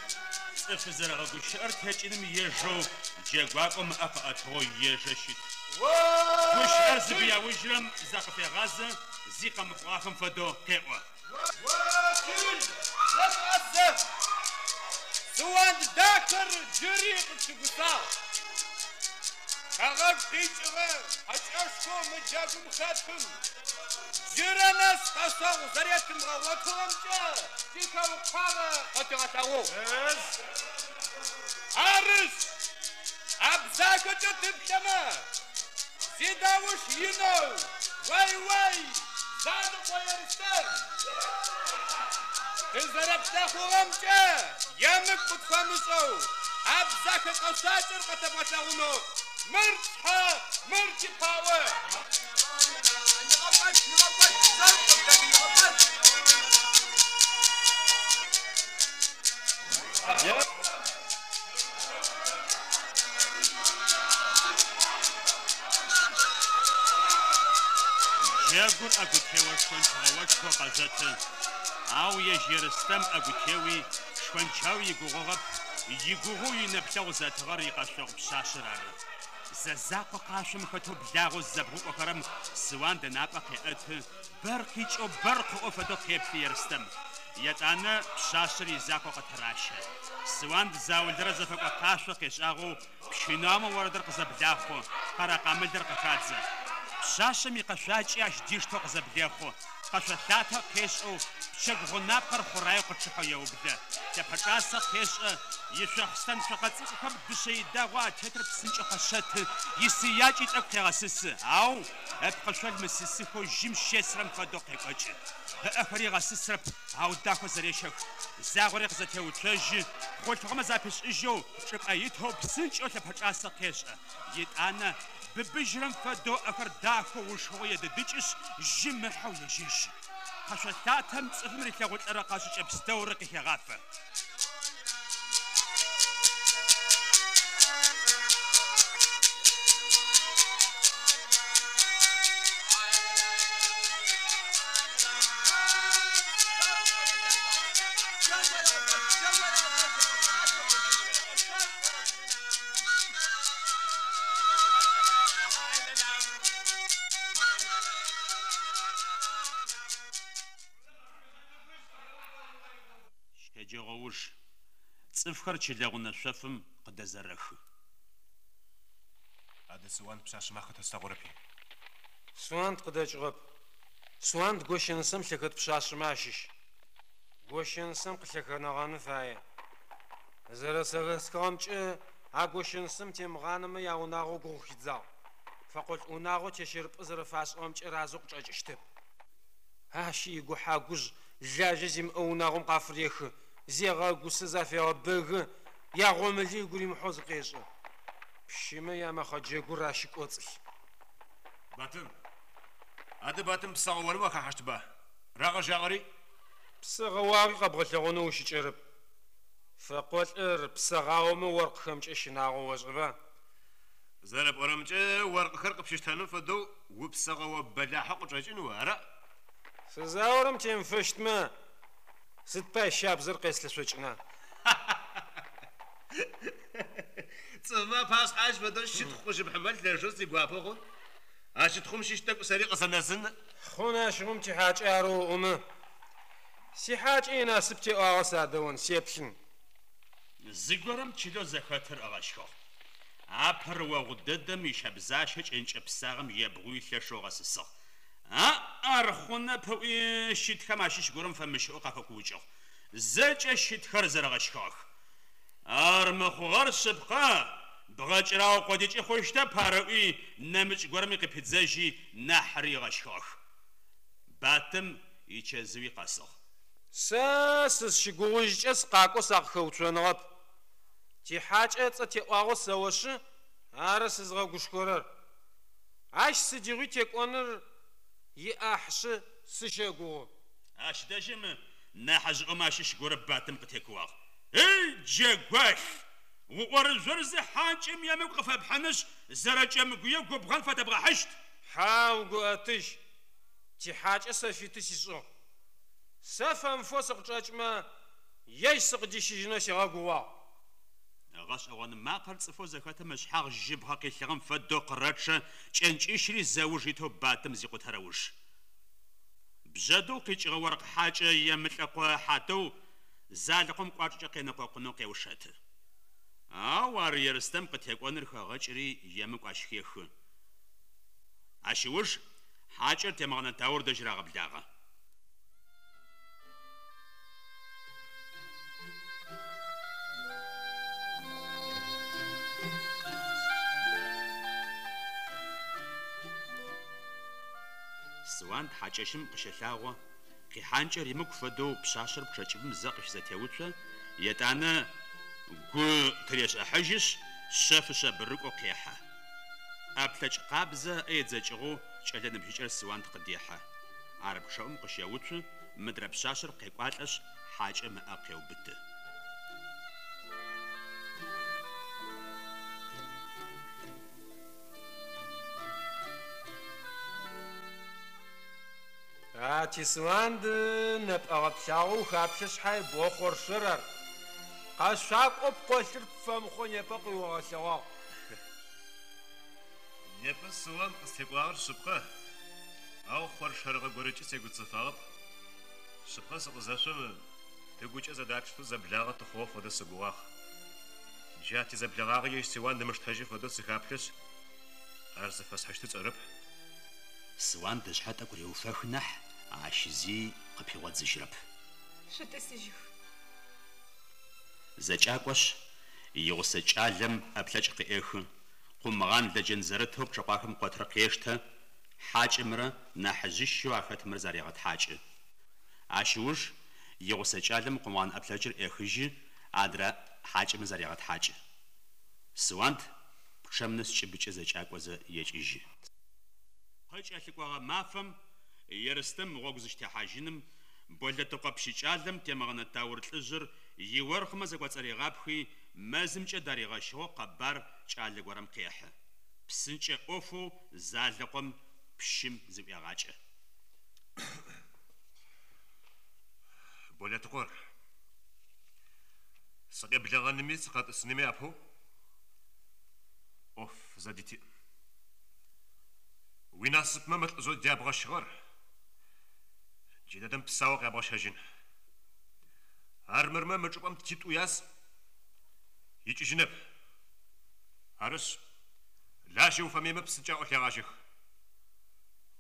Цӏыф зэрэгъэгущыӏэр текӏыным ежэу джэгуакӏом ыӏэ къыӏэтыгъэу ежэ щыт. Гущыӏэр зыбыяужьырэм закъыфегъазэ, зи къэмыхъугъахэм фэдэу къеӏо. О, чыл, зэшӏэсэ! Суанд дахэр джыри къытщыгусагъ. Хэгъэгу къикӏыгъэ хьакӏэшхоу мы джэгум хэтым джырэ нэс къэшъогъу зэретымыгъэгъотыгъэмкӏэ тихэукъуагъэ къытигъэлъэгъугъ. Арышъ, абзахэкӏэ тыплъэмэ, зидауш инэу, уай-уай, Занэкъо Ерстэм! Тызэрэплъэхъугъэмкӏэ емыкӏу къытфэмышӏэу, абзахэ къэшъуакӏэр къэтэбгъэлъэгъунэу мыр тшъхьэ, мыр типаӏо. Джэгур ӏэгутео шхончгъэошхо къэзэты, ау ежь Ерстэм ӏэгутеуи шхончауи игугъугъэп, игугъоу инэплъэгъу зэтыгъэр икъэшъогъу пшъашъэр ары. Зэ закъо къашъом хэтэу благъэу зызэбгъукӏохэрэм Суанд ынапӏэ къеӏэты, бэр къикӏэу бэр къыӏо фэдэу къеплъы Ерстэм. Етӏанэ пшъашъэр изакъоу къытыращэ. Суанд заулэрэ зэфэкӏо къашъо къешӏагъэу пщынаомэ орэдыр къызэблахъу, къэрэкъамылыр къыхадзэ. Пшъашъэм икъэшъуакӏи ащ диштэу къызэблехъу, къэшъо лъатэ къешӏэу пчэгу гъунапкъэр хъураеу къычъыхьэу еублэ. Лъэпэчӏасэ къешӏэ, ишъохъстэн цокъэ цӏыкӏухэм дышъэ идагъо атетыр псынкӏэу къэшъэты, исыякӏи тӏэкӏу къегъэсысы, ау ыпкъышъол мысысыхэу жьым щесрэм фэдэу къекӏокӏы. Ыӏэхэри ыгъэсысрэп, ау дахэу зэрещэх. Загъори къызэтеуцожьы, хъулъфыгъэмэ запишӏыжьэу, чӏыпӏэ итэу псынкӏэу лъэпэчӏасэ къешӏэ. Етӏанэ быбыжьырэм фэдэу ӏэхэр дахэу ушхыгъэу едыдыкӏышъ, жьым ыхьэу ежьэжьы. Къэшъо лъатэм цӏыфым рилъэгъулӏэрэ къэшӏыкӏэ пстэур къыхегъафэ. Щэджэгъоуж цӏыфхэр чылэгъунэ шъофым къыдэзэрэхы. Адэ Суанд пшъашъэмэ ахэтэслъэгъурэпи. Суанд къыдэкӏыгъэп. Суанд гощэнысэм лъэхэт пшъашъэмэ ащыщ. Гощэнысэм къылъэхэнэгъэн фае. Зэрэзэхэсхыгъэмкӏэ а гощэнысэм темыгъанэмэ яунагъо гугъу хидзагъ. Фэкъолӏ унагъо тещэрыпӏэ зэрэфашӏыгъэмкӏэ разэу къычӏэкӏыщтэп. Ащ игухьагужъ лажьэ зимыӏэ унагъом къафырехы, зегъэгусэ зафегъэбэгы, ягъомыли ыгу римыхьэу зыкъешӏы. Пщымэ ямэхъэджэгур ащ кӏоцӏылъ. Батым, адэ Батым псэгъэоным ахахьащтба? Рагъэжьагъэри? Псэгъэуагъи къэбгъэлъэгъонэу ущыкӏэрэп. Фэкъолӏыр псэгъаомэ оркъхэмкӏэ щынагъо ошӏэба? Зэрэпӏорэмкӏэ оркъхэр къыпщыштэным фэдэу упсэгъэо бэлахьэу къычӏэкӏын о, ара? Сызаорэм темыфэщтмэ, сыд пай щабзэр къеслъэшъокӏына? Цӏыфмэ пашъхьэ ащ фэдэу щытхъу къыщыпхьымэ лъэшэу сигуапэ хъун. А щытхъум щыщ тӏэкӏу сэри къысэнэсын. Хъун ащыгъум тихьакӏэ арэу ыӏомэ. Сихьакӏэ инасып теӏуагъэ садэон, сеплъын. Зыгорэм чылэу зэхэтыр ыгъэщхыгъ. Апэрэ огъу дэдэм ищэбзащэ кӏэнкӏэ псагъэм ебгъуи лъэшэу ыгъэсысыгъ. Ар хъунэп ыӏуи щытхэм ащыщ горэм фэмыщыӏэу къахэкуукӏыгъ. Зэкӏэ щытхэр зэрэгъэщхыгъэх. Ар мыхъугъэр шъыпкъэ, бгъэкӏырагъо къодыкӏи хъущтэп ар ыӏуи нэмыкӏ горэми къыпидзэжьи нахьри ыгъэщхыгъэх. Батым ичэзыуи къэсыгъ. Сэ сызщыгугъужькӏэ сыкъакӏоу Ащ сыдигъуи текӏоныр иӏахьышъы, сыщэгугъы. Ащ дэжьым нахьыжъыӏомэ ащыщ горэ Батым къытекууагъ. Эй, джэгуалъ! Уӏорыжъорызэ хьакӏэм емыкӏу къыфэпхьынышъ, зэрэкӏэмгуе губгъэн фэтэбгъэхьыщт! Хьау, Гуӏэтыжь, тихьакӏэ сэ фиты сишӏыгъ. Сэ фэмыфэу сыкъычӏэкӏмэ, ежь сыкъыдищыжьынэу сигъэгугъуагъ. Гъэшӏэгъон макъэр цӏыфэу зэхэтым ышъхьагъ жьыбгъэ къилъыгъэм фэдэу къырэчъэ, кӏэнкӏищри зэуж итэу Батым зикъутэрэ уж. Бжъэдыгъу къикӏыгъэ оркъ хьакӏэ Емылӏэкъо Хьатыу Залэкъом кӏуачӏэкӏэ къенэкъокъунэу къеушэты. Ау ар Ерстэм къытекӏоныр хэгъэкӏыри емыкӏу ащ хехы. Ащ ыуж хьакӏэр Темгъэнэ Таур дэжь рагъэблагъэ. Суанд хьакӏэщым къыщэлъагъо, къихьанкӏэ римыкӏу фэдэу пшъашъэр пчъэ кӏыбым зэ къыщызэтеуцо, етӏанэ гу тырешӏыхьажьышъ, шъэф-шъэбэрыкӏоу къехьэ. ӏэплъэкӏ къабзэ ыӏэ едзэкӏыгъэу кӏэлэ ныбжьыкӏэр Суанд къыдехьэ. Ар пчъэӏум къыщэуцу, мыдрэ пшъашъэр къекӏуалӏэшъ, хьакӏэм ыӏэ къеубыты. А ти Суанд нэпӏэ гъэплъагъэу ухаплъэ шъхьай, бо хъоршэр ар. Къэшъуакӏоу пкъолъыр пфэмыхъоу непэ къыуигъэлъэгъуагъ. Непэ Суанд къыстекӏуагъэр шъыпкъэ, ау хъоршэрыгъэ горэкӏи сегуцэфагъэп. Шъыпкъэ сыкъызэшъом, тыгукӏэ зэдатштэу зэблагъэ тыхъугъэ фэдэу сыгугъагъ. Джа тизэблэгъагъэ ежь Суанд ымыштэжьы фэдэу сыхаплъэшъ, ар зыфэсхьыщтыр сшӏэрэп. Суанд ышъхьэ тӏэкӏу реуфэхы нахь, ащ зи къыпигъодзыжьрэп. Шъутӏысыжьых. Зэкӏакӏошъ, игъусэ кӏалэм ӏэплъэкӏ къыӏехы, къумгъан лэджэн зэрытэу пчъэкъуахэм къотыр къештэ, хьакӏэмрэ нахьыжъищэу ахэтымрэ зарегъэтхьакӏы. Ащ ыуж игъусэ кӏалэм къумгъан ӏэплъэкӏыр ӏехыжьы, адрэ хьакӏэмэ зарегъэтхьакӏы. Суанд пчъэм нэс кӏыбыкӏэ зэкӏакӏозэ екӏыжьы. Къыкӏэлъыкӏогъэ мафэм Ерстэм гъогу зыщытехьажьыным Болэтыкъо пщыкӏалэм Темгъэнэ Таур лӏыжъыр иоркъмэ зэкӏоцӏыригъапхи, мэзымкӏэ даригъэщыгъэу къэбар кӏалэ горэм къехьы. Псынкӏэ ӏофэу Залэкъом пщым зыӏуегъакӏэ. Болэтыкъор, сыкъеблэгъэнми сыкъэтӏысынми апэу ӏоф зэдытиӏ. Уинасыпмэ мы лӏыжъэу дябгъэщыгъэр джыдэдэм псаоу къябгъэщэжьын. Армырмэ мы чӏыпӏэм титӏу яз икӏыжьынэп. Арышъ, лажьэ уфэмыемэ псынкӏаӏо лъегъажьэх.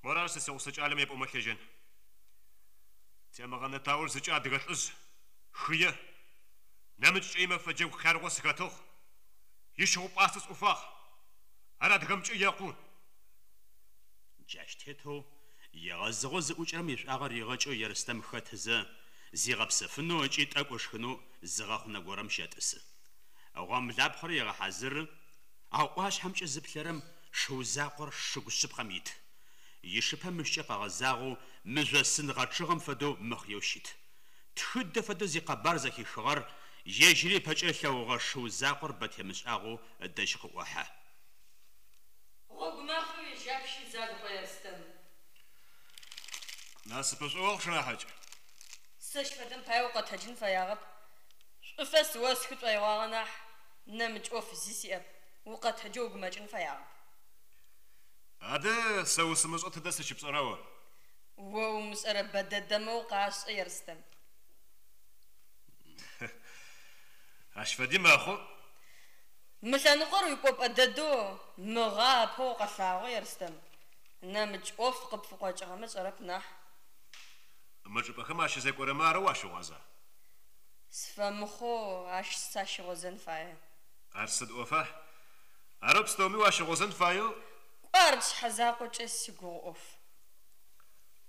Морар сэ сигъусэ кӏалэм епӏомэ лъежьэн. Темгъэнэ Таур зыкӏэ адыгэ лӏыжъ, хые, нэмыкӏкӏэ имэфэ джэгу хъярыгъо сыхэтыгъ, ищыгъу-пӏастэ сӏуфагъ. Ар адыгэмкӏэ екъу. Джащ тетэу егъэзыгъэу зыӏукӏэрэм ишӏуагъэ ригъэкӏэу Ерстэм хэтызэ, зигъэпсэфынэу ыкӏи тӏэкӏу ышхынэу зы гъэхъунэ горэм щэтӏысы. Гъомлапхъэр егъэхьазыры, ау ӏуашъхьэмкӏэ зыплъэрэм шыу закъор шыгу шъыпкъэм ит. Ишыпэ мыщкӏэ къэгъэзагъэу мыжъосын гъэчъыгъэм фэдэу мыхъыеу щыт. Тхыдэ фэдэу зикъэбар зэхихыгъэр ежьыри ыпэкӏэ ылъэгъугъэ шыу закъор бэ темышӏагъэу ыдэжь къыӏохьэ. Гъогу мафэ уежьапщи, Залыкъо Ерстэм. Насыпышӏо охъу, шынахьыкӏ. Сэщ фэдэм пае укъэтэджын фэягъэп. Шӏуфэс осхы шӏоигъуагъэ нахь, нэмыкӏ ӏоф зи сиӏэп, укъэтэджэу угумэкӏын фэягъэп. Адэ, сэ усымышӏэу тыдэ сыщыпшӏэра о? О умышӏэрэ бэ дэдэмэ укъашӏэ, Ерстэм. Ащ фэди мэхъу. Мы лъэныкъор уикӏопӏэ дэдэу мыгъэ апэу укъэлъагъо, Ерстэм. Нэмыкӏ ӏоф къыпфыкъокӏыгъэмэ сшӏэрэп нахь. Мы чӏыпӏэхэм ащызекӏорэмэ арэу уащыгъуаза? Сфэмыхъоу ащ сащыгъозэн фае. Ар сыд ӏофа? Арэу пстэуми уащыгъозэн фаеу? Кӏо, ар сшъхьэ закъокӏэ сигугъу ӏоф.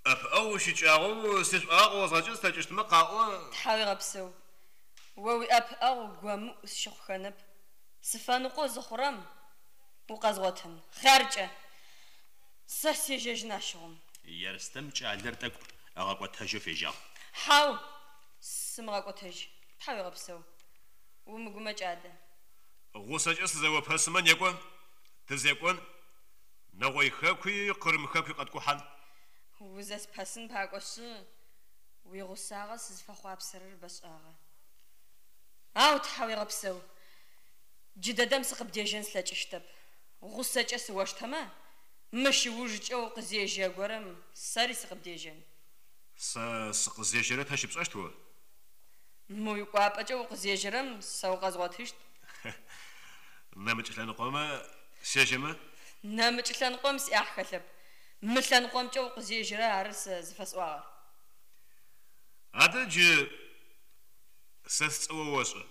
ӏэпыӏэгъу уищыкӏагъэу сишӏуагъэ къыозгъэкӏын слъэкӏыщтмэ къаӏо. Тхьауегъэпсэу. О уиӏэпыӏэгъу гомыӏу сщыхъухэнэп. Сыфэныкъоу зыхъурэм, укъэзгъотын. Хъяркӏэ! Сэ сежьэжьын ащыгъум. Ерстэм кӏалэр тӏэкӏу ыгъэкӏотэжьэу фежьагъ. Хьау, сымыгъэкӏотэжь, тхьауегъэпсэу. Умыгумэкӏ адэ. Гъусэкӏэ сызэопэсымэ, некӏо, тызекӏон, Нэгъой хэкуи Къырым хэкуи къэткӏухьан. Узэспэсын пакӏошъы, уигъусагъэ сызыфэхъуапсэрэр бэшӏагъэ. Ау, тхьауегъэпсэу, джыдэдэм сыкъыбдежьэн слъэкӏыщтэп. Гъусэкӏэ сыоштэмэ, мыщ ыужкӏэ укъызежьэ горэм сэри сыкъыбдежьэн. Сэ сыкъызежьэрэр тэ щыпшӏэщт о? Мы уикӏуапӏэкӏэ укъызежьэрэм сэ укъэзгъотыщт. Нэмыкӏ лъэныкъомэ сежьэмэ? Нэмыкӏ лъэныкъом сиӏахь хэлъэп. Мы лъэныкъомкӏэ укъызежьэрэр ары сэ зыфэсӏуагъэр. Адэ джы сэ сцӏэ о ошӏэ.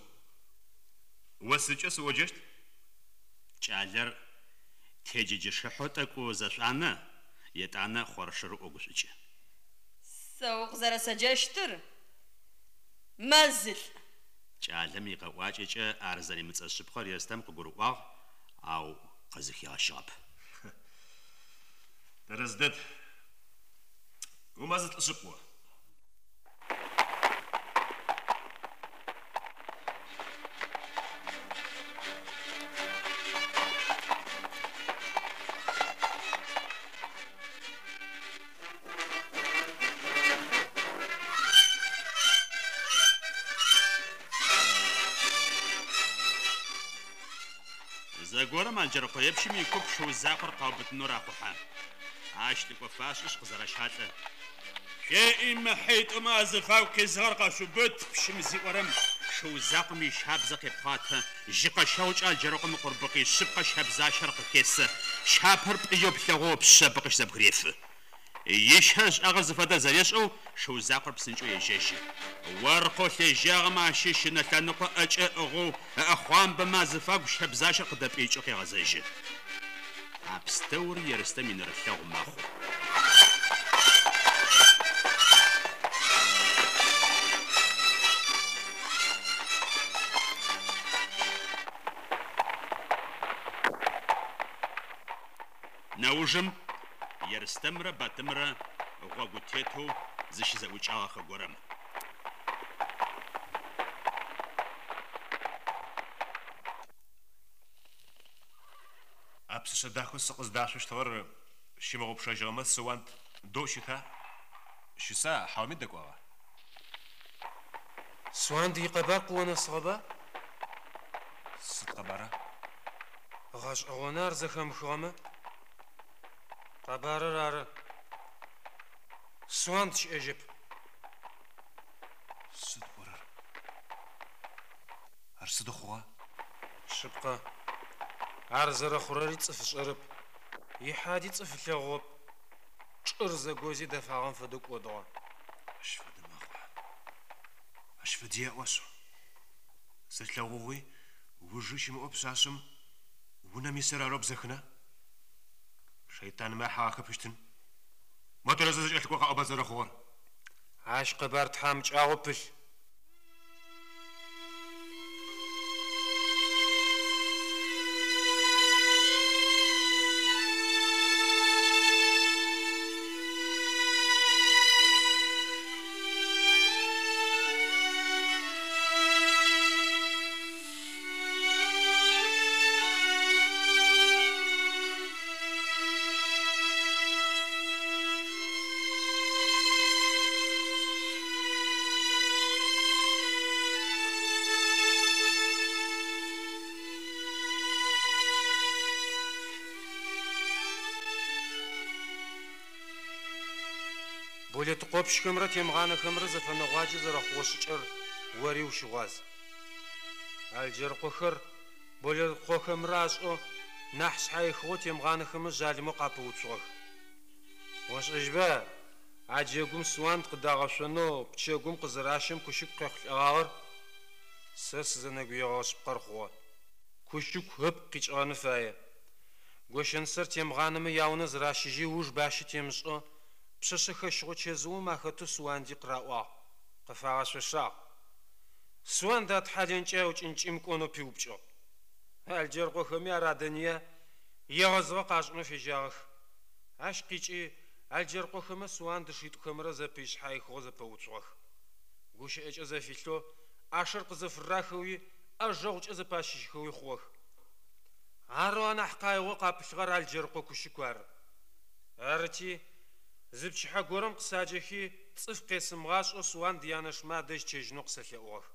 О сыдкӏэ сыоджэщт? Кӏалэр теджэджэшыхьэу тӏэкӏу зэшӏуанэ, етӏанэ хъоршэру ӏогушӏукӏы. Сэ укъызэрэсэджэщтыр Мэзылӏ. Кӏалэм икъэӏуакӏэкӏэ ар зэримыцӏэ шъыпкъэр Ерстэм къыгурыӏуагъ, ау къызыхигъэщыгъэп. Тэрэз дэд. Умэзылӏ шъыпкъ о. Зэгорэм Алджэрыкъоепщым икуп шыу закъор къаубытынэу рахъухьэ. Ащ лӏыкӏо фашӏышъ къызэращалӏэ. Шъуеӏи, мы хьитӏумэ азыфагу къизыгъэр къэшъуубыт, пщым зиӏорэм, шыу закъом ищабзэ къепхъуатэ, жьыкъэщэгъукӏэ Алджэрыкъом ыкъурбыкъи шъыпкъэ щэбзащэр къыхесэ, щапэр пӏыеу плъэгъоу ыпшъэбы къыщызэбгырефы. Ищэ ышӏагъэр зыфэдэр зэрешӏэу шыу закъор псынкӏэу ежьэжьы. Оркъэу лъежьагъэмэ ащыщ ынэ лъэныкъо ӏэкӏэ ыӏыгъэу ыӏэхъуамбэмэ азыфагу щэбзащэр къыдэпӏыикӏэу къегъэзэжьы. А пстэури Ерстэм инэрылъэгъу мэхъу. Нэужым Ерстэмрэ Батымрэ гъогу тетэу зыщызэӏукӏагъэхэ горэм. А пшъэшъэ дахэу сыкъыздашъощтыгъэр сщымыгъупшэжьыгъэмэ, Суанд дэу щыта? Щыса, хьауми дэкӏуагъа? Суанд икъэбар къыонэсыгъэба? Сыд къэбара? Гъэшӏэгъоны ар зэхэмыхыгъэмэ. Къэбарыр ары. Суанд щыӏэжьэп. Сыд пӏорэр? Ар сыдэу хъугъа? Шъыпкъэ, ар зэрэхъурэри цӏыф ышӏэрэп. Ихьади цӏыф ылъэгъугъэп. Чӏыр зэгози дэфагъэм фэдэу кӏодыгъэ. Ащ фэдэ мэхъуа? Ащ фэди аӏошъ. Зэлъэгъугъи ужи щымыӏэу пшъашъэм унэм исыр арэу бзэхына? Шэйтанмэ ахьыгъахэпыщтын. Мо тэрэзэу зэкӏэлъыкӏо къаӏоба зэрэхъугъэр. Ащ къэбар тхьамыкӏагъо пылъ. Болэтыкъопщхэмрэ Темгъанэхэмрэ зэфэнэгъуаджэ зэрэхъугъэ шӏыкӏэр ори ущыгъуаз. Алджэрыкъохэр Болэтыкъохэмрэ ашӏэу нахь шъхьаихыгъэу Темгъанэхэмэ жъалымэу къапэуцугъэх. Ошӏэжьба, а джэгум Суанд къыдагъэшъонэу пчэгум къызыращэм Кущыку къехъулӏэгъагъэр? Сэ сызэнэгуегъэгъэ шъыпкъэр хъугъэ. Кущыку ыпкъ къикӏыгъэн фае. Гощэнысэр Темгъанэмэ яунэ зыращыжьи ыуж бащэ темышӏэу пшъэшъэ хэщыгъо чэзыум ахэтэу Суанди къыраӏуагъ, къыфагъэшъошагъ. Суанд атхьалэнкӏэ аукӏынкӏи мыкӏонэу пиупкӏыгъ. Алджэрыкъохэми ар адэныя, егъэзыгъэ къашӏынэу фежьагъэх. Ащ къикӏи Алджэркъохэмэ Суанд ышитӏухэмрэ зэпый шъхьаихыгъэу зэпэуцугъэх. Гущыӏэкӏэ зэфилъэу, ӏашэр къызэфырахэуи, ӏэжэгъукӏэ зэпащыжьхэуи хъугъэх. Арэу анахь къаигъэу къапылъыгъэр Алджэрыкъо Кущыку ары. Арыти, зы пчыхьэ горэм къысаджэхи, цӏыф къесымыгъашӏэу Суанд янэшмэ адэжь чъэжьынэу къысэлъэӏугъэх.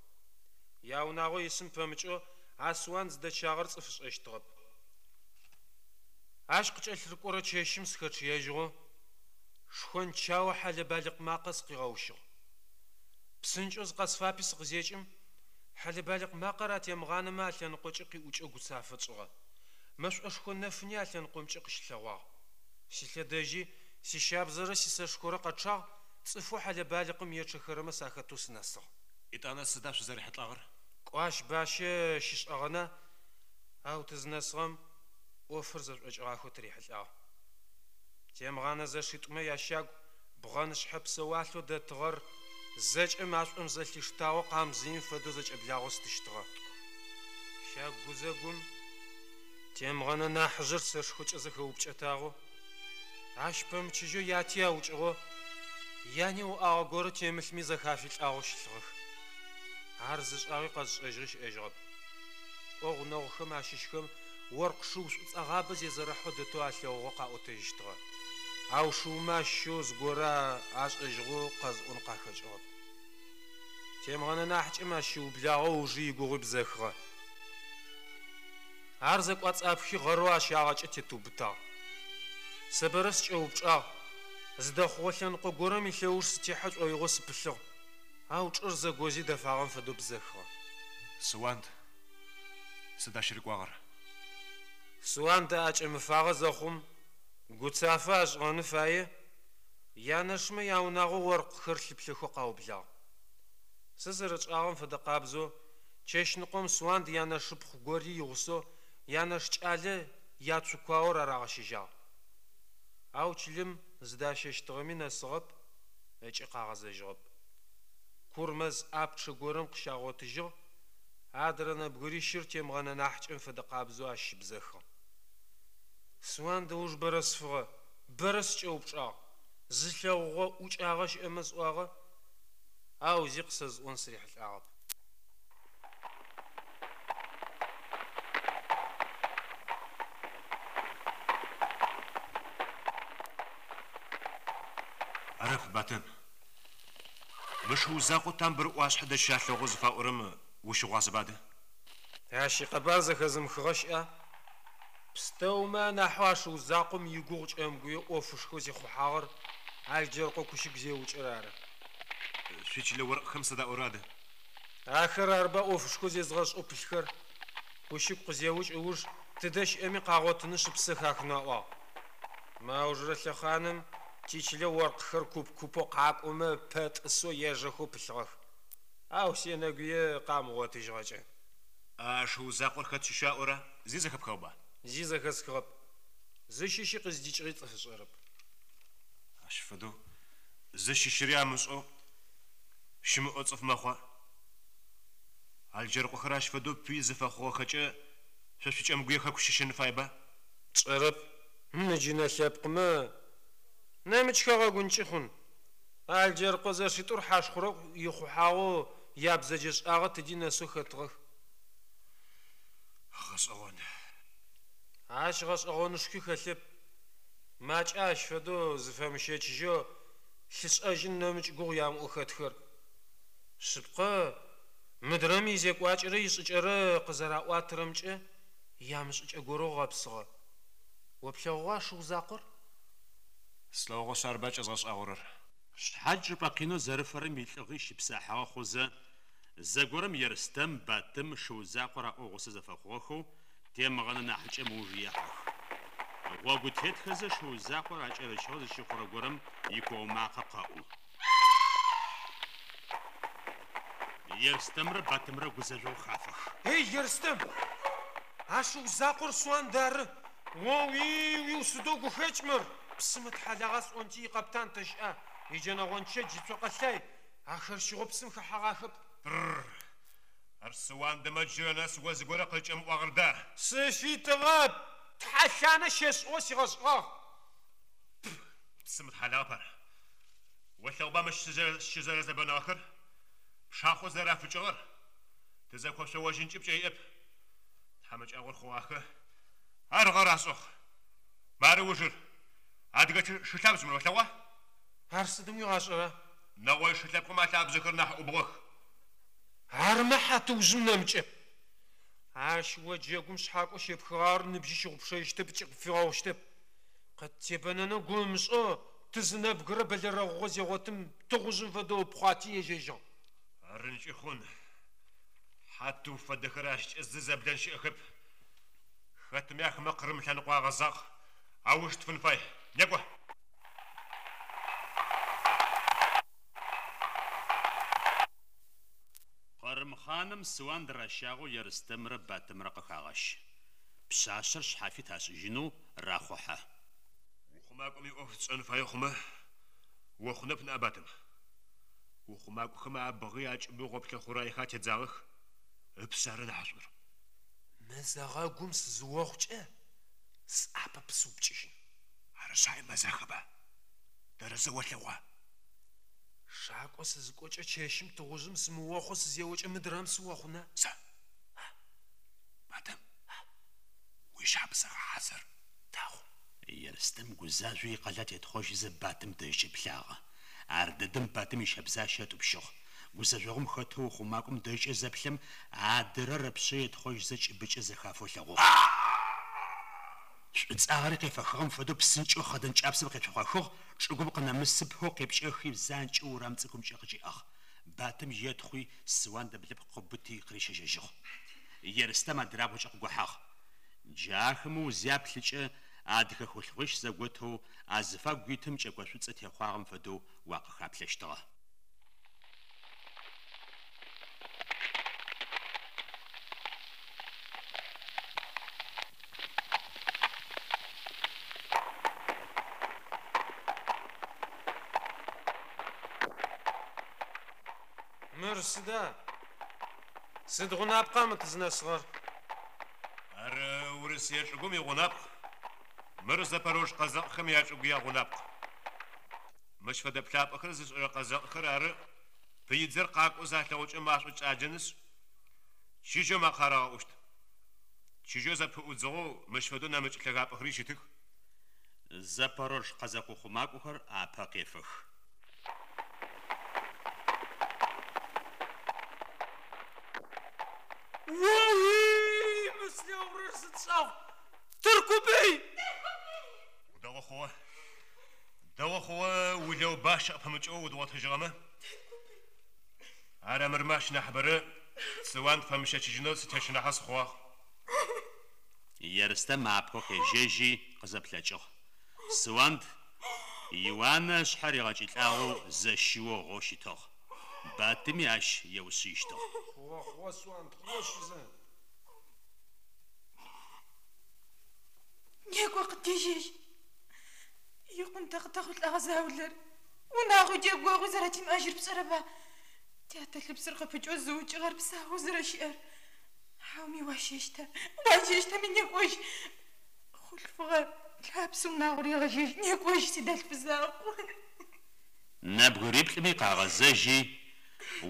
Яунагъо исым пэмыкӏэу а Суанд зыдэчъагъэр цӏыф ышӏэщтыгъэп. Ащ къыкӏэлъырыкӏорэ чэщым сыхэчъыежьыгъэу шхончао хьэлэ-балыкъ макъэ сыкъигъэущыгъ. Псынкӏэу зыкъэсфапи сыкъызекӏым, хьэлэ-балыкъ макъэр а Темгъанэмэ алъэныкъокӏэ къиӏукӏэу гуцафэ тшӏыгъэ. Мэшӏошхо нэфыни а лъэныкъомкӏэ къыщылъэгъуагъ. Силъэдэжьи, сищабзэрэ сисэшхорэ къэчъагъ, цӏыфэу хьэлэ-балыкъым ечъэхэрэмэ сахэтэу сынэсыгъ. Етӏанэ сыда шъузэрихьылӏагъэр? Кӏо ащ бащэ щышӏэгъэна, ау тызынэсыгъэм ӏофыр зэшӏокӏыгъахэу тырихьылӏагъ. Темгъанэ зэшитӏумэ ящагу бгъэнышъхьэ псэуалъэу дэтыгъэр зэкӏэ машӏом зэлъиштагъэу къамзыим фэдэу зэкӏэблагъэу стыщтыгъэ. Щагу гузэгум Темгъэнэ нахьыжъыр сэшхокӏэ зэхэупкӏэтагъэу, ащ пэмычыжьэу яти аукӏыгъэу, яни уӏагъэ горэ темылъми зэхафи лӏагъэу щылъыгъэх. Ар зышӏагъи къэзышӏэжьыгъи щыӏэжьыгъэп. Кӏо гъунэгъухэм ащыщхэм оркъ шыу шӏуцӏэгъабэ зезэрэхьэу дэтэу алъэгъугъэу къаӏотэжьыщтыгъэ. Ау шыумэ ащыщэу зыгорэ ашӏэжьыгъэу къэзыӏон къахэкӏыгъэп. Темгъэнэ нахьыкӏэм ащ щыублагъэу ыужи игугъуи бзэхыгъэ. Ар зэкӏуацӏапхи гъэрэу ащагъэкӏэ тетыубытагъ. Сэ бэрэ сыкӏэупчӏагъ, зыдэхъугъэ лъэныкъо горэм илъэуж сытехьэ шӏоигъоу сыпылъыгъ, ау чӏыр зэгози дэфагъэм фэдэу бзэхыгъэ. Суанд сыд ащ рыкӏуагъэр? Суанд аӏэкӏэмыфагъэ зэхъум, гуцафэ ашӏыгъэны фае, янэшмэ яунагъо оркъхэр лъыплъэхэу къаублагъ. Сэ зэрэтшӏагъэм фэдэ къабзэу, чэщныкъом Суанд янэшыпхъу гори игъусэу янэш кӏалэ яцукуаор арагъэщэжьагъ. Ау чылэм зыдащэщтыгъэми нэсыгъэп ыкӏи къагъэзэжьыгъэп. Кур мэз ӏапчъэ горэм къыщагъотыжьыгъ, адрэ нэбгырищыр Темгъэнэ нахьыкӏэм фэдэ къабзэу ащ щыбзэхыгъ. Суанд ыуж бэрэ сфыгъэ, бэрэ сыкӏэупчӏагъ, зылъэгъугъэ, ӏукӏагъэ щыӏэмэ сӏуагъэ, ау зи къысэзыӏон сырихьылӏагъэп. Арэп, Батым. Мы шыу закъоу Тамбыр ӏуашъхьэ дэжь щалъэгъугъ зыфаӏорэм ущыгъуазэба адэ? Ащ икъэбар зэхэзымыхыгъэ щыӏа? Пстэумэ анахьэу а шыу закъом игугъу Кӏэмгуе ӏофышхоу зихъухьагъэр Алджэркъо Кущыку зеукӏыр ары. Шъуичылэ оркъхэм сыд аӏорэ адэ? Ахэр арба ӏофышхо зезгъэшӏэу пылъхэр? Кущыку къызеукӏ ыуж тыдэ щыӏэми къагъотынышъ ыпсэ хахынэу аӏуагъ. Мы аужырэ лъэхъаным тичылэ оркъхэр куп-купэу къакӏомэ пэтӏысэу ежэхэу пылъыгъэх. Ау сенэгуе къамыгъотыжьыгъэкӏэ. А шыу закъор хэт щыща аӏора? Зи зэхэпхыгъэба? Зи зэхэсхыгъэп. Зыщыщи къыздикӏыгъи цӏыф ышӏэрэп. Ащ фэдэу зыщыщыри амышӏэу щымыӏэу цӏыф мэхъуа? Алджэрыкъохэр ащ фэдэу пыи зыфэхъугъэхэкӏэ шъо шъуи Кӏэмгуе хэку щыщын фаеба? Тшӏэрэп. Мы джынэ лъэпкъмэ нэмыкӏ хэгъэгункӏи хъун. Алджэрыкъо зэшитӏур хьашхъурэӏу ихъухьагъэу ябзэджэшӏагъэ тыди нэсэу хэтыгъэх. Гъэшӏэгъон. Ащ гъэшӏэгъонышхуи хэлъэп. Макӏа ащ фэдэу зыфэмыщэчыжьэу лъышӏэжьын нэмыкӏ гугъу ямыӏэу хэтхэр. Шъыпкъэ, мыдрэм изекӏуакӏэрэ ишӏыкӏэрэ къызэраӏуатэрэмкӏэ ямышӏыкӏэ горэу гъэпсыгъэ. О плъэгъугъа шыу закъор? Слъэгъугъэшъ арба кӏэзгъэшӏагъорэр. Шъхьадж чӏыпӏэ къинэу зэрыфэрэм илӏыгъи щыпсахьыгъэ хъузэ, зэгорэм Ерстэм, Батым шыу закъор аӏоу гъусэ зэфэхъугъэхэу Темгъэнэ нахьыкӏэм ыуж ехьэх. Гъогу тетхэзэ шыу закъор акӏэрычыгъэ зыщыхъурэ горэм икуо макъэ къэӏу. Ерстэмрэ Батымрэ гузэжъогъу хафэх. Эй, Ерстэм! А шыу закъор Суанд ары! О-уи-уиу, сыдэу гухэкӏ мыр! Псым ытхьалагъа сӏонти, икъэптан тэ щыӏа? Иджэнэ-гъончэдж, ицокъэ лъай, ахэр щыгъэу псым хэхьэгъахэп. Тр-р! Ар Суандэмэ джырэ нэс о зыгорэ къызкӏэмыӏуагъэр да? Сыфитыгъэп! Тхьэлъанэ щешӏыгъэу сигъэшӏыгъагъ. Псым ытхьалагъэп ар. Олъэгъуба мыщ щызэрэзэбэныгъэхэр? Пшахъо зэрафыкӏыгъэр? Тызэкошъоожьынкӏи пкӏэ иӏэп. Тхьамыкӏагъор хъугъахэ. Ар гъэр ашӏыгъ. Мары ужыр. Адыгэ шы лъабжъ мыр, олъэгъуа? Ар сыдым уигъашӏэра? Нэгъой шы лъэпкъым алъабжъэхэр нахь ӏубгъох. Армэ хьатыужъым нэмыкӏэп. Ащ о джэгум шъхьакӏо щепхыгъагъэр ныбжьи щыгъупшэжьыщтэп ыкӏи къыпфигъэгъущтэп. Къыттебэнэнэу гу ымышӏэу тызынэбгырэ бэлэрэгъугъэ зегъотым тыгъужъым фэдэу ыпхъуати ежьэжьыгъ. Арынкӏи хъун. Хьатыу фэдэхэр ащкӏэ зызэблэн щыӏэхэп. Хэтми ахэмэ Къырым лъэныкъо агъэзагъ, ауж тфын фай. Некӏо! Къырым хъаным Суанд ращагъэу Ерстэмрэ Батымрэ къыхагъэщы. Пшъашъэр шъхьафит ашӏыжьынэу рахъухьэ. Ухъумакӏом иӏоф тшӏэн фае хъумэ, охъунэп ныӏа, Батым. Ухъумакӏохэм абгъи акӏыби гъоплъэ хъураехэр атедзагъэх, ыпшъ ары нахьышӏур. Мызэгъэгум сызыохъукӏэ, сӏапэ пысыупкӏыжьын. Ары шъхьае мэзахэба, тэрэзэу олъэгъуа? Шакӏо сызыкӏокӏэ чэщым тыгъужъым сымыохъоу сызеокӏэ мыдрэм сыохъуна? Сэ, Батым, уищабзэ гъэхьазыр, дэгъу. Ерстэм гузажъоу икъэлат етхъожьызэ Батым дэжькӏэ плъагъэ. Ардэдэм Батым ищэбзащэ ытӏупщыгъ. Гузэжъогъум хэтэу ухъумакӏом дэжькӏэ зэплъэм, адырэр ыпшъэ етхъожьызэ кӏыбыкӏэ зэхафэу ылъэгъугъ. Шӏуцӏагъэри къефэхыгъэм фэдэу псынкӏэу хъэдэн кӏапсэм къецохъохыгъ, чӏыгум къынэмысыпэу къепкӏэхи, занкӏэу урам цӏыкӏумкӏэ къыкӏиӏагъ. Батым етхъуи, Суанд ыблыпкъ къыубыти къырищэжьэжьыгъ. Ерстэм адырабгъукӏэ къыгохьагъ. Джы ахэмэ узяплъыкӏэ, адыгэ хъулъфыгъищ зэготэу азыфагу итым кӏэко шӏуцӏэ техъуагъэм фэдэу уакъыхаплъэщтыгъэ. Мыр сыда? Сыд гъунапкъа мы тызынэсыгъэр? Ар Урысые чӏыгум игъунапкъ. Мыр запорож къэзэкъхэм ячӏыгу ягъунапкъ. Мыщ фэдэ плъапӏэхэр зышӏырэ къэзэкъхэр ары пыидзэр къакӏоу залъэгъукӏэ машӏо кӏаджэнышъ, чыжьэу макъэ арагъэӏущт. Чыжьэу зэпыӏудзыгъэу мыщ фэдэу нэмыкӏ лъэгапӏэхэри щытых. Запорож къэзэкъ ухъумакӏохэр апэ къефэх. О-уи, мы слъэгъурэр сыд шӏагъу! Тыркубый! Дэгъу хъугъэ. Дэгъу хъугъэ улэу бащэ къыпымыкӏэу удгъотыжьыгъэмэ. Ар армырмэ ащ нахьыбэрэ Суанд фэмыщэчыжьынэу сытещынахьэ сыхъугъагъ. Ерстэм апэу къежьэжьи, къызэплъэкӏыгъ. Суанд иуанэ ышъхьэ ригъэкӏылӏагъэу зэщыоу гъэу щытыгъ. Батыми ащ еушъыищтыгъ. Хъугъэ, хъугъэ, Суанд, хъугъэ, шъузэ. Некӏо, къытежьэжь. Икъун тэ къытэхъулӏэгъэ заулэр. Унагъуи джэгогъуи зэрэтимыӏэжьыр пшӏэрэба? Тятэ лъыпсыр къыпыкӏэу зыукӏыгъэр псаоу зэрэщыӏэр. Хьауми уащэщта? Уащэщтэми некӏожь. Хъулъфыгъэ лъапсэ унагъор егъэжьэжь. Некӏожь, сидэлъф закъу. Нэбгыриплӏыми къагъэзэжьи,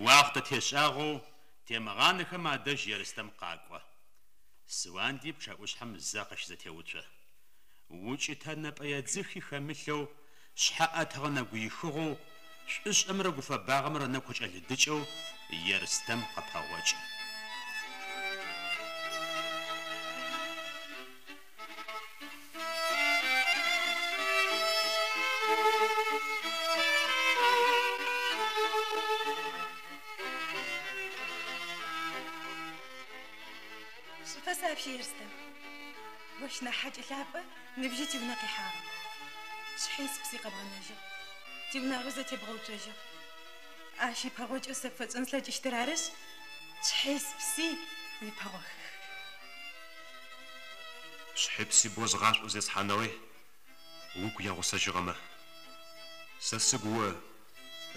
уахътэ тешӏагъэу Темыгъанэхэм адэжь Ерстэм къакӏо. Суанди пчъэӏушъхьэм зэ къыщызэтеуцо. Укӏытэ нэпӏэедзыхи хэмылъэу, шъхьэ ӏэтыгъэ нэгуихыгъэу, шӏушӏэмрэ гуфэбагъэмрэ ынэгу къыкӏэлыдыкӏэу Ерстэм къыпэгъокӏы. Шӏуфэс апщи, Ерстэм. Ощ нахь хьакӏэ лъапӏэ ныбжьи тиунэ къихьагъэп. Сшъхьи спси къэбгъэнэжьыгъ, тиунагъуи зэтебгъэуцожьыгъ. Ащ ипэгъокӏэу сэ пфэсшӏэн слъэкӏыщтыр арышъ, сшъхьи спси уипэгъохых. Сшъхьи пси боу згъашӏоу зесхьаныгъи, угу ягъусэжьыгъэмэ. Сэ сыгу о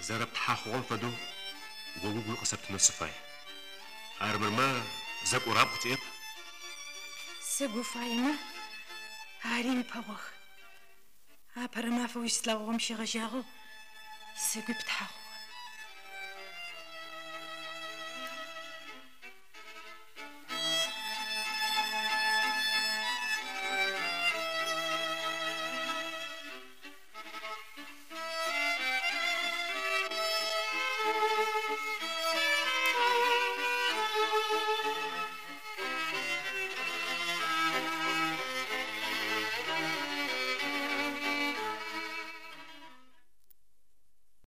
зэрэптхьахъугъэм фэдэу о угуи къысэптынэу сыфай. Армырмэ, зэкӏурабгъу тиӏэп. Сыгу уфаемэ, ари уипэгъох. Апэрэ мафэу узыслъэгъугъэм щегъэжьагъэу сыгуи птхьагъ.